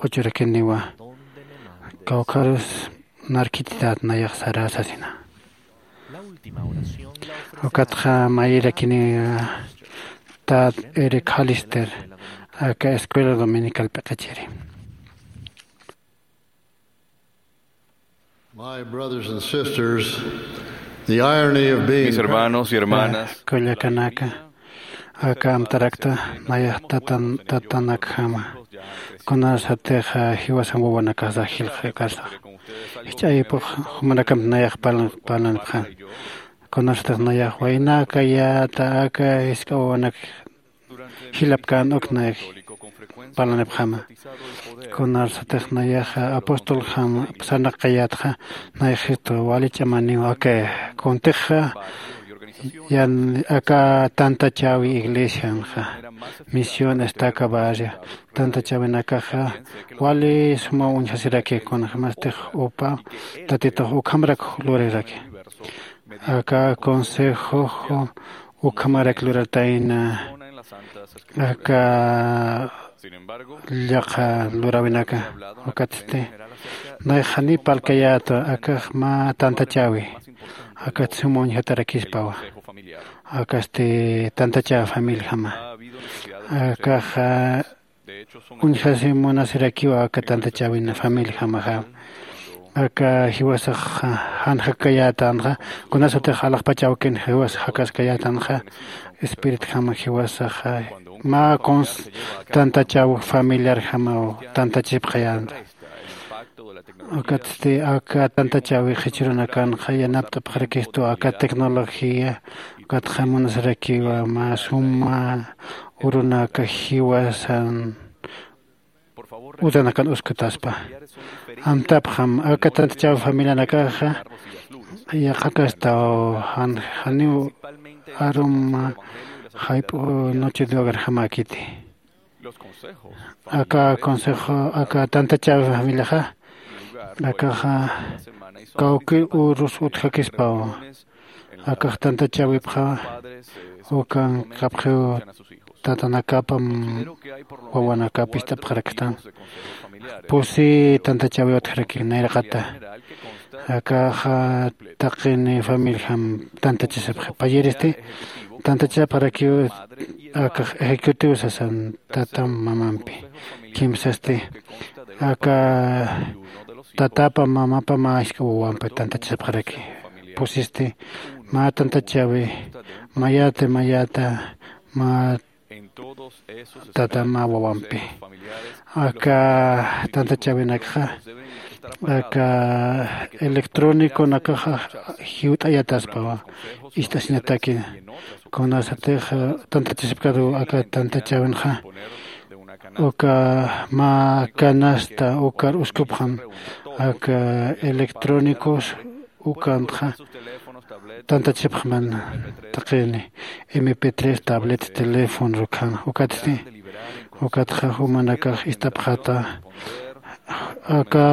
uchurakiniwa. Kawkharus narkitität nayax sarä sasina. Ukatxa mayirakini tad eric halister aka escuela dominical p'iqichiri. My brothers and sisters, the irony of being mis hermanos y hermanas kullakanaka aka amtarakta nayax tatanakjama. Kunasatix jiwasan wawanakaxa jilxakarsax jich'ayipux jumanakampi nayax parlanipxan. Kunasatix nayax waynakayäta aka jisk'a wawanak jilapkän uk nayax parlanipxama. Kunarsatix nayaxa apostoljam sarnaqkayätxa nayaxistu wali ch'amaniw aka kuntixa yan aka tantachäwi iglesianxa misión estaca barrio tantachäwinakaxa wali sumaw uñjasiraki kunjämastix upa tatitux ukhamrak luraraki. Aka consejox ukhamarak lurartayna aka llaqha luräwinaka. Ukatsti nayax janiw parlkayäta akax mä tantachäwi akat suma uñjatarakispawa. Akasti tantachäwi familiajama akaxa uñjasi munasirakiwa aka tantachäwina familiajamaxa. Aka jiwasax jan jakkayätanxa kunasatix alaxpach awkin jiwas jakaskayätanxa espiritjama jiwasaxa mä kuns tantachäw familiarjamaw tantachipxayänxa. Ukatsti aka tantachäwi jichhürunakanxa yanapt'apxarakistu aka tecnología ukatxa munasarakiwa mä suma urunaka jiwasan utanakan uskutaspa. Amtapxam aka tantachäw familianakaxa yaqhakastaw janiw aruma jayp'u noche de hogarjamäkiti. Aka consejo aka tantachäwi familiaxa akaxa kawkir urus utjakispaw. Akax tantachäwipxa ukankapxiw tatanakapam wawanakap ist'apxaraktan. Pusi tantachäwi utjaraki nayraqata akaxa taqini familiajam tantachasipxi payiristi tantachapxarakiw akax ejecutivo sasan tatam mamampi. Kimsasti aka tatapa mamapa mä jisk'a wawampi tantachasipxaraki. Pusisti mä tantachäwi mayäti mayäta mä Tatama wawampi aka tantachawinakxa aka electroniconakaxa jiwt'ayataspawa. Ist'asiñataki kunasatix tantachasipkaru aka tantachawinxa uka mä canasta ukar uskupxam aka electrónicos ukantxa tantachasipxman taqini mp tres tablet teléfono rukhan ukatsti ukatxa jumanakax ist'apxata aka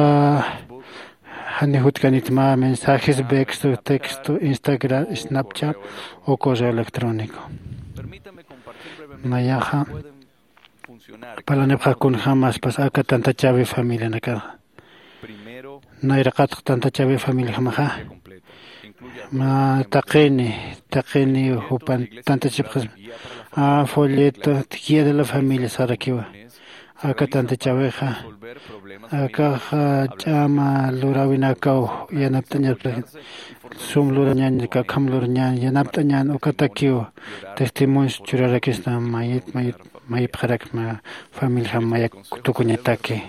jani jutkanit mä mensajes vexto texto instagram snapchat o correo electrónico. Nayaxa parlanipxakunjamaspas aka tantachawi familianakaxa nayraqatx tantachawi familiajamaxa mä taqini taqini jupan tantachipxasma a folleto guía de la familia sarakiwa aka tantachawixa akaxa ch'ama luräwinakaw yanapt'añatpxi sum lurañan kakham lurañan yanapt'añan ukatakiw testimonios churarakisna mayit mayit mayipxarakma familijam mayak tukuñataki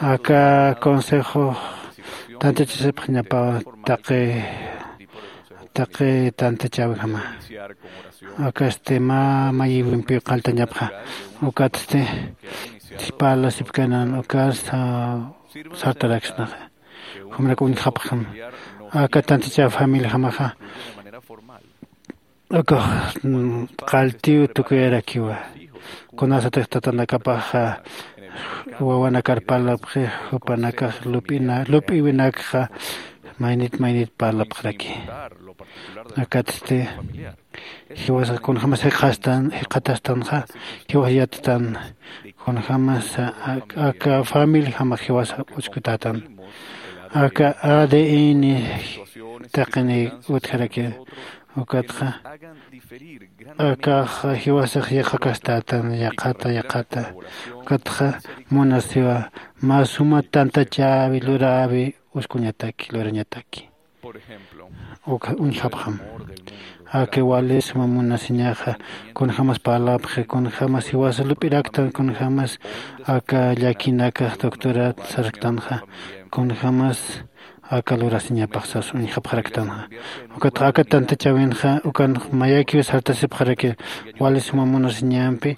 aka consejo tantachasipxañapaw taqi taqi tantachawjama akasti mä mayiwimpiw qalltañapxa ukatsti parlasipkanan ukas sartaraksnaxa jumrak uñjapxam aka tantachaw familijamaxa akax qalltiw tukuyarakiwa kunasatix tatanakapaxa wawanakar parlapxi jupanakax lup'ina lup'iwinakxa maynit maynit parlapxaraki akatsti jiwasax kunjämas jikxastan jikxatastanxa jiwas yattan kunjämas aka familijamax jiwasa uskutätan aka adn taqini utjaraki ukatxa akax jiwasax yaqhakastan yaqhata yaqhata ukatxa munasiwa mä suma tantachäwi luräwi uskuñataki lurañataki uka uñjapxam aka wali suma munasiñaxa kunjämas parlapxi kunjämas jiwasa lup'iraktan kunjämas aka llakinakax doctorat sarktanxa kunjämas aka lurasiñapaxsas uñjapxaraktanxa ukatxa aka tantachawinxa ukanx mayakiw sartasipxaraki wali suma munasiñampi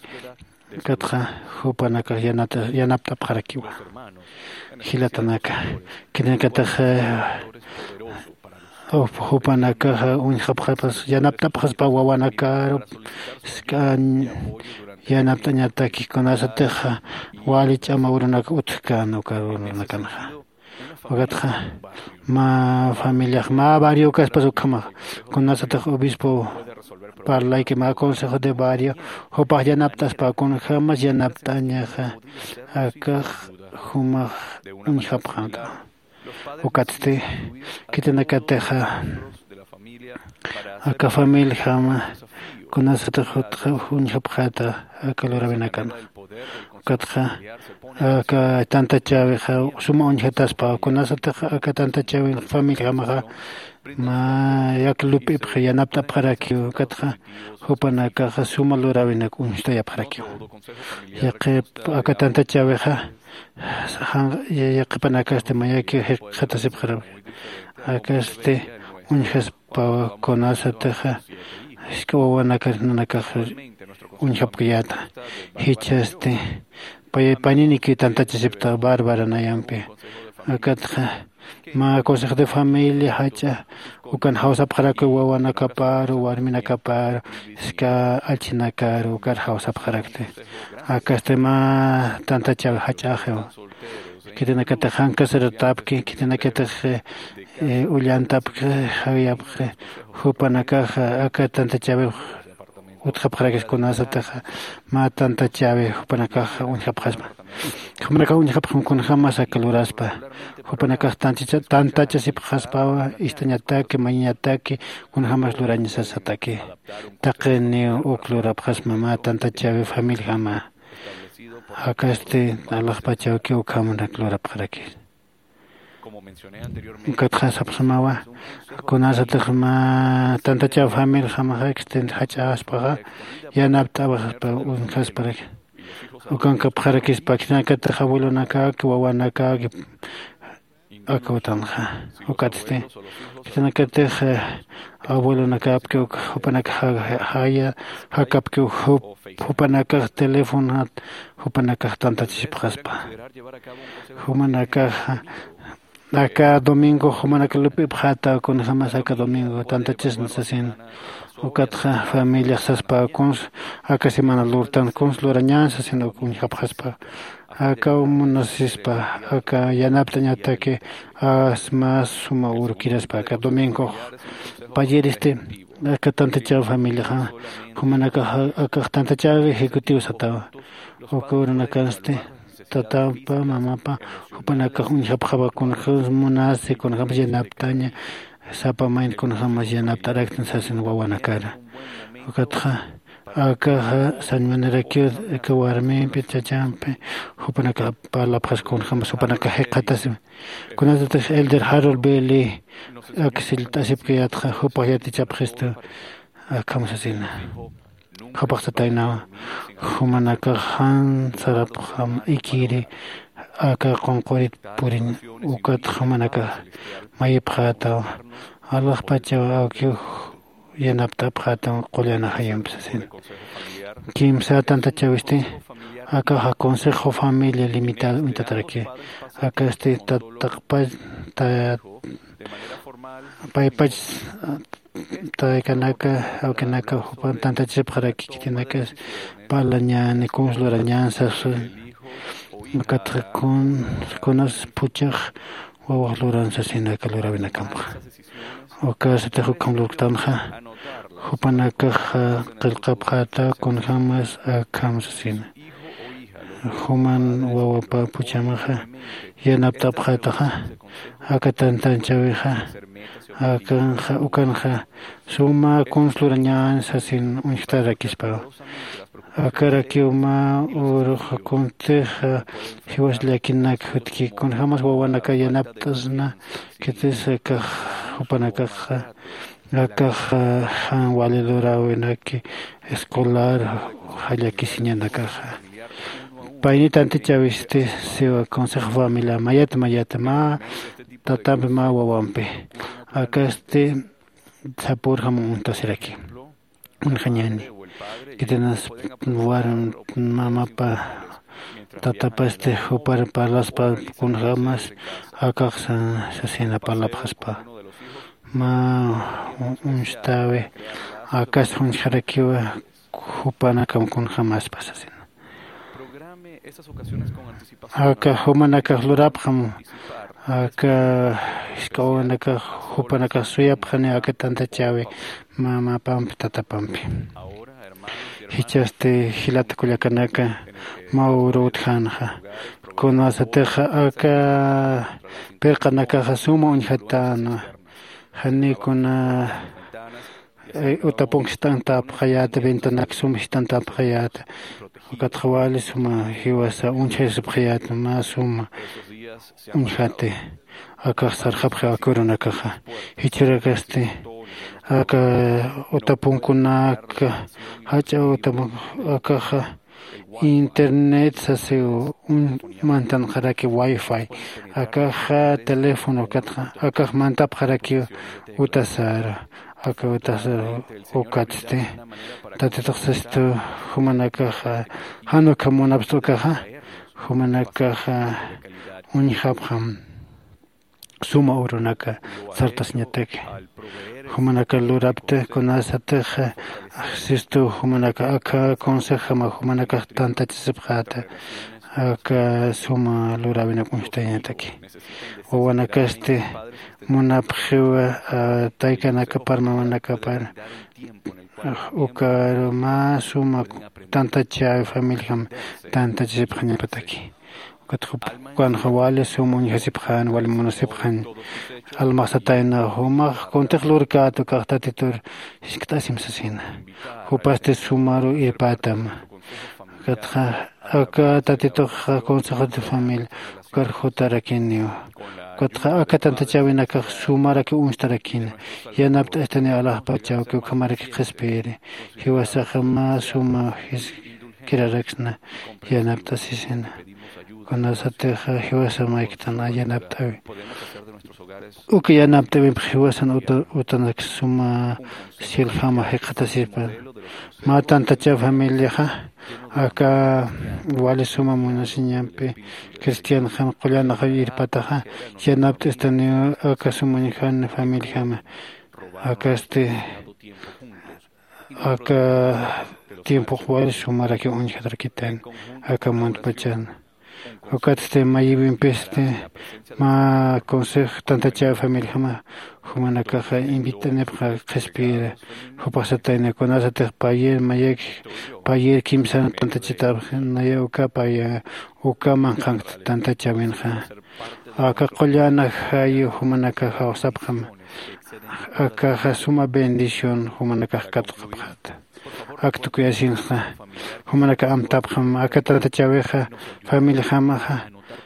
ukatxa jupanakax yanapt'apxarakiwa jilatanaka khitinakatax jupanakaxa uñjapxapas yanapt'apxaspa wawanakaru sk'an yanapt'añataki kunasatixa wali ch'ama urunak utjkän uka urunakanxa ukatxa mä familiax mä barrio kaspas ukhamax kunasatix obispo parlayki mä consejo de barrio jupax yanapt'aspa kunjämas yanapt'añaxa akax jumax uñjapxäta ukatsti khitinakatixa aka familijama kunasatix utxa uñjapxäta aka luräwinakan ukatxa aka tantachäwixa suma uñjataspa kunasatix aka tantachäwin familijamaxa mä yak lup'ipxi yanapt'apxarakiw ukatxa jupanakaxa suma luräwinak uñstayapxarakiw yaqhip aka tantachäwixa yaqhipanakasti mayakiw jikxatasipxarakta akasti uñjaspawa kunasatixa jisk'a wawanakar nanakax uñjapkayäta jichhasti payay paninikiw tantachasipta bárbara nayampi akatxa mä consejo de familia jach'a ukan jawsapxarakiw wawanakaparu warminakaparu jisk'a allchhinakaru ukar jawsapxarakti akasti mä tantachäwi jach'axiw khitinakatix jankasaratapki khitinakatix ullantapki jawiyapxi jupanakaxa aka tantachäwix utjapxarakis kunasatixa mä tantachäwi jupanakaxa uñjapxaspa jumanakax uñjapxam kunjämas aka luraspa jupanakax tantachasipxaspawa ist'añataki mañañataki kunjämas lurañasasataki taqiniw uk lurapxasma mä tantachäwi familijama akasti alaxpachawkiw ukhamanak lurapxarakis Ukatxa sapxsmawa, kunasatix mä tantachaw familijamaxa extend jach'aspaxa, yanapt'awaxaspa uñjasparaki. Ukankapxarakispa khitinakatix abuelonakaki wawanakaki. Aka utanxa ukatsti khitinakatix abuelonakapki uk jupanakax jaya jakapki uk jupanakax telefonat jupanakax tantachisipxaspa. Jumanakaxa aka domingo jumanaka lup'ipxätaw kunjämas aka domingo tantachisna sasin. Ukatxa familiax saspa kuns aka semana lurtan kuns lurañän sasin uk uñjapxaspa. Aka munasispa aka yanapt'añataki as mas suma urukiraspa aka domingox payiristi aka tantachaw familiaxa jumanakax akax tantachaw ejecutivo satawa. Uka urunakansti tatapa mamapa jupanakax uñjapxawa kunjämas munasi kunjämas yanaptaña sapa mayni kunjämas yanapt'araktan sasin wawanakara. Ukatxa akaxa sañmanirakiw aka warmimpi chachampi jupanakax parlapxas kunjämas jupanakax jikxatasima. Kunatatix elder Harold Bailey ak sillt'asipkayätxa jupax yatichapxistu akham sasina. Jupax sataynawa jumanakax jan sarapxam ikiri aka qunqurit puriñ. Ukat jumanakax mayipxätaw alaxpachaw awkiw yanapt'apxätaw qullan ajayumpi sasin. Kimsa tantachawisti akaxa consejo familia limitado uñtatarakiw. Akasti tataqpach paypach taykanaka awkinaka jupan tantachasipxaraki khitinakas parlañäni kuns lurañän sasu. Ukatxa kunas phuchax wawax luran sasina aka luräwinakampxa. Ukasatix ukham lurktanxa jupanakax qillqapxäta kunjämas akham sasina. Juman wawapa phuchhamaxa yanapt'apxätaxa aka tantanchäwixa akanxa ukanxa suma kuns lurañän sasin uñjtarakispawa. Akarakiw mä uruxa kuntixa jiwas llakinak jutki kunjämas wawanaka yanapt'asna khitis akax jupanakaxa akax jan wali luräwinaki escolar jallakisiñanakaxa. Payni tantichäwisti siwa consejo familia mayat mayat mä tatampi mä wawampi akasti sapürjam uñtasiraki. Uñjañäni khitinas warm mamapa tatapasti jupar parlaspa kunjämas akax sasina parlapxaspa mä uñstäwi akas uñjarakiwa jupanakam kunjämaspa sasina. Aka jumanakax lurapxam aka jisk'a wawanakax jupanakax suyapxani aka tantachäwi mamapampi tatapampi. Jichhasti jilata kullakanaka mä uru utjänxa kunasatixa aka pirqanakaxa suma uñjatänwa. Janiw kuna utapunk jist'antapxayäta ventanak suma jist'antapxayäta. Ukatxa wali suma jiwasa uñjasipxayäta mä suma uñjati. Akax sarxapxi aka urunakaxa jichhürakasti aka utapunkunaka jach'a utapunk akaxa internet sasiw mantanxaraki wifi akaxa teléfono ukatxa akax mantapxarakiw utasaru. Aka utasar ukatsti tatitux sistu jumanakaxa jan ukham munapxta ukaxa jumanakaxa uñjapxam suma urunaka sartasiñataki. Jumanaka lurapti kunasatix sistu jumanaka aka consejama jumanakax tantachasipxäta aka suma luräwinak uñjtayañataki. Wawanakasti munapxiwa taykanakapar mamanakapar ukaru mä suma tantachäwi familiam tantachasipxañapataki. Ukat jupanxa wali suma uñjasipxän wali munasipxän. Almaxsatayna jumax kuntix lurkät ukax tatitur jiskt'asim sasina. Jupasti sumaru irpätam. Ukatxa aka tatitux consejo de familia ukar jutarakiniw. Ukatxa aka tantachäwinakax sumaraki uñstarakina. Yanapt'astani alaxpachawki ukhamaraki qhispiyiri. Jiwasaxa mä suma jisk'iraraksna yanapt'asisina. Kunasatixa jiwasamayktan yanapt'äwi. Uka yanapt'äwimpi jiwasan uta utanak suma cielojama jikxatasipana. Mä tantachaw familiaxa aka wali suma munasiñampi cristianxam qullan aqaw irpataxa yanapt'istaniw aka suma uñjan familiajama. Akasti aka tiempox wali sumaraki uñjatarakitan aka muntpachan. Ukatsti mayiwimpisti mä consejo tantachäw familiajama jumanakaxa invit'anipxa qhispiyira. Jupaxsatayna kunasatix payer mayaki payer kimsan tantachitapxi naya uka paya uka manqhankt tantachäwinxa. Aka qullan jayu jumanakax jawsapxam. Akaxa suma bendición jumanakax katuqapxäta. Ak tukuyasinxa jumanakax amtapxam aka tantachäwixa familiajamaxa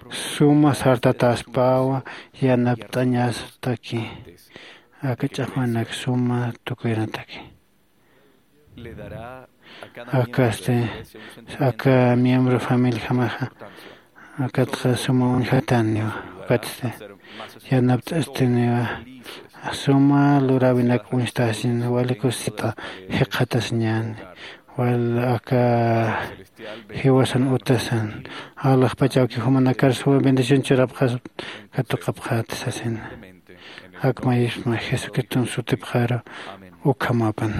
suma sartatäspawa yanapt'añastaki. Aka ch'axwanak suma tukuyanataki. Akasti aka miembro familiajamaxa akatxa suma uñjataniwa. Ukatsti yanapt'astiniwa suma luräwinak uñstasin wali kusisita jikxatasiñäni. Wal aka jiwasan utasan alaxpachawki jumanakar suma bendición churapxas katuqapxäta sasina. Ak mayisma jesucriston sutipxaru ukhamapan.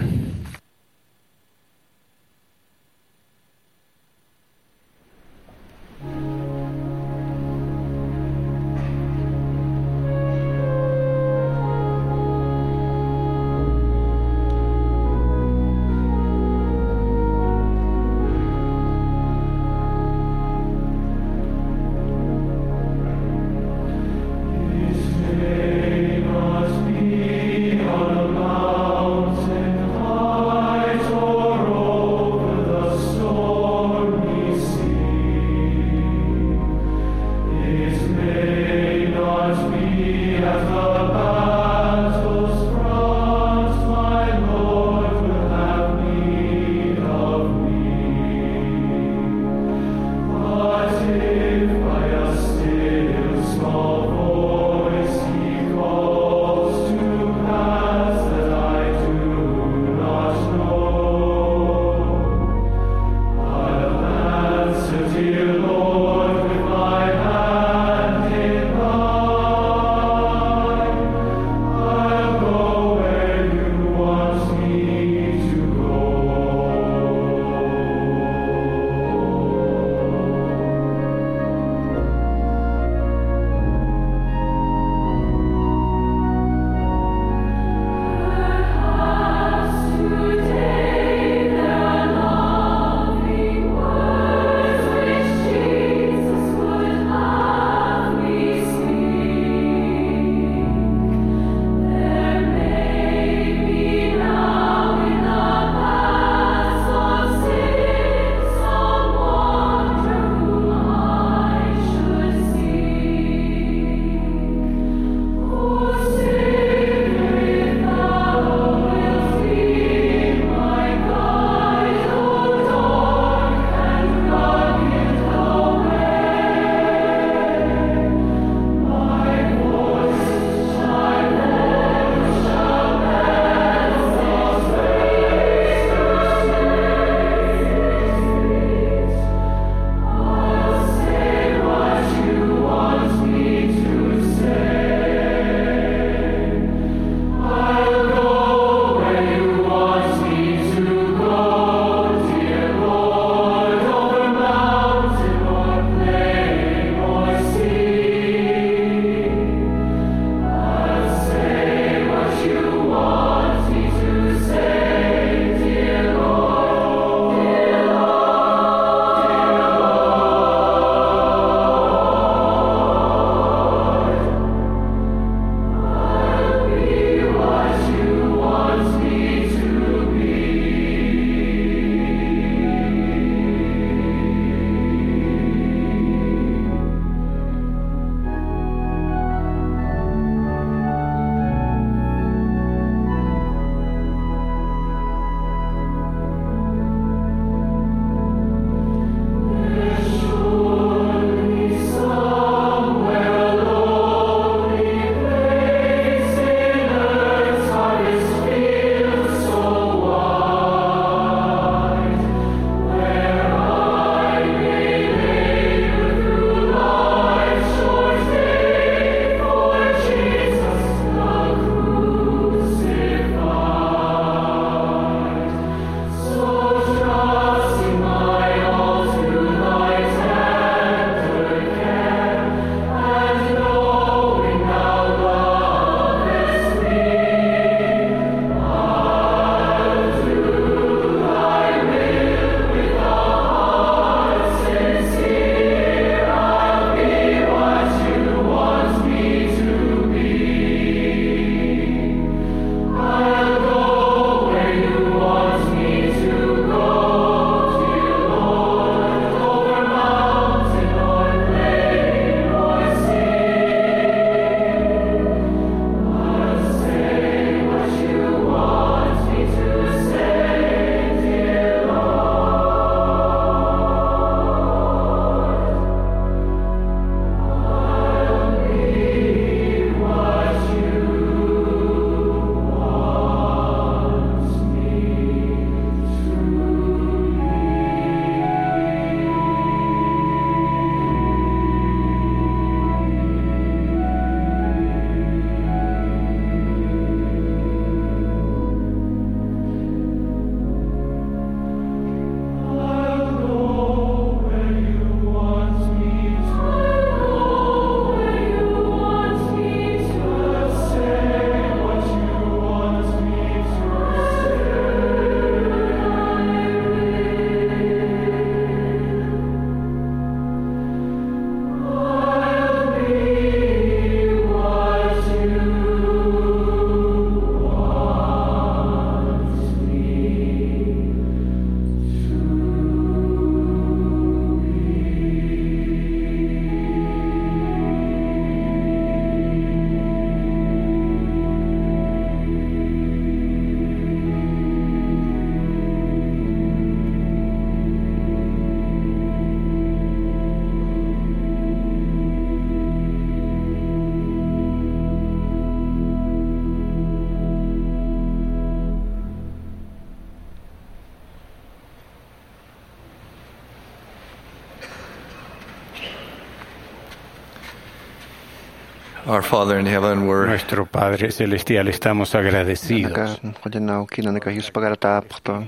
Our Father in heaven, we're Nuestro Padre Celestial, estamos agradecidos. Nanaka, qullanaw, nanaka yuspagaratäpxtu.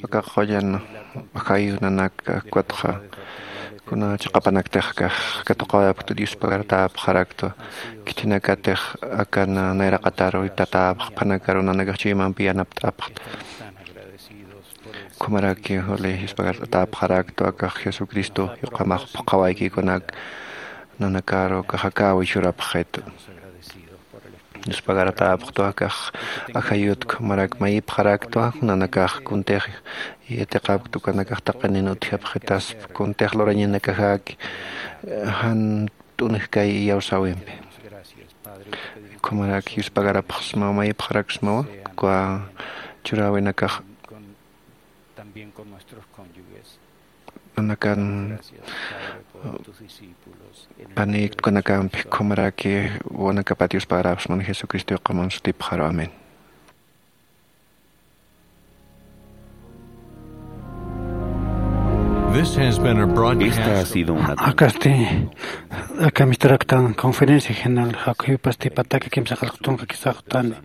Aka qullan ajayu nanaka, ukatxa kuna chiqapanakatix katuqawayapktu, yuspagaratäpxaraktu. Khithinakatix akan nayraqataru tatäpxpanakaru nanakax chuymampi yanapt'apxta. Ukhamaraki juli yuspagaratäpxaraktu, akax Jesucristo yuqamax phuqhawaykikunak nanakaru akax akäwi churapxitu. Yuspagaratäpxtu akax ajayut, ukhamarak mayipxaraktu, nanakax kuntix yatiqapktu, ukanakax taqinin utjapxitaspa, kuntix lurañanakaxaki jan t'unjkay iyawsäwimpi. Ukhamarak yuspagarapxsmawa, mayipxaraksmawa, uka churäwinakax nanakan panïkta ukanakampi, ukhamaraki wawanakapat yuspagarapxsmawa Jesucristo yuqaman sutipxaru. Amén. This has been a broadcast. Esta ha sido una Akasti, aka misturaktan conferencia general, jakhuypasti pataka kimsa qillqtunka kisaxtani,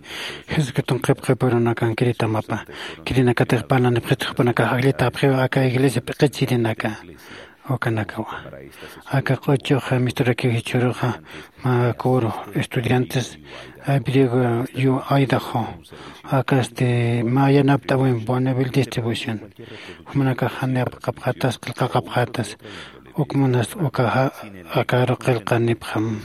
Jesucriston qhip qhipurunakan kiritamapa, kirinakatix parlanipxitxpanaka, jakllitapxiwa aka iglesia p'iqichirinaka, ukanakawa. Aka q'uchux misturakiw jichhüruxa, mä kuru estudiantes, eh, Griego, yu Idaho, akasti mä yanapt'äwin Bonneville Distribution. Jumanakax janipxapxätas, qillqaqapxätas, ukmanas ukaxa akaru qillqanipxam.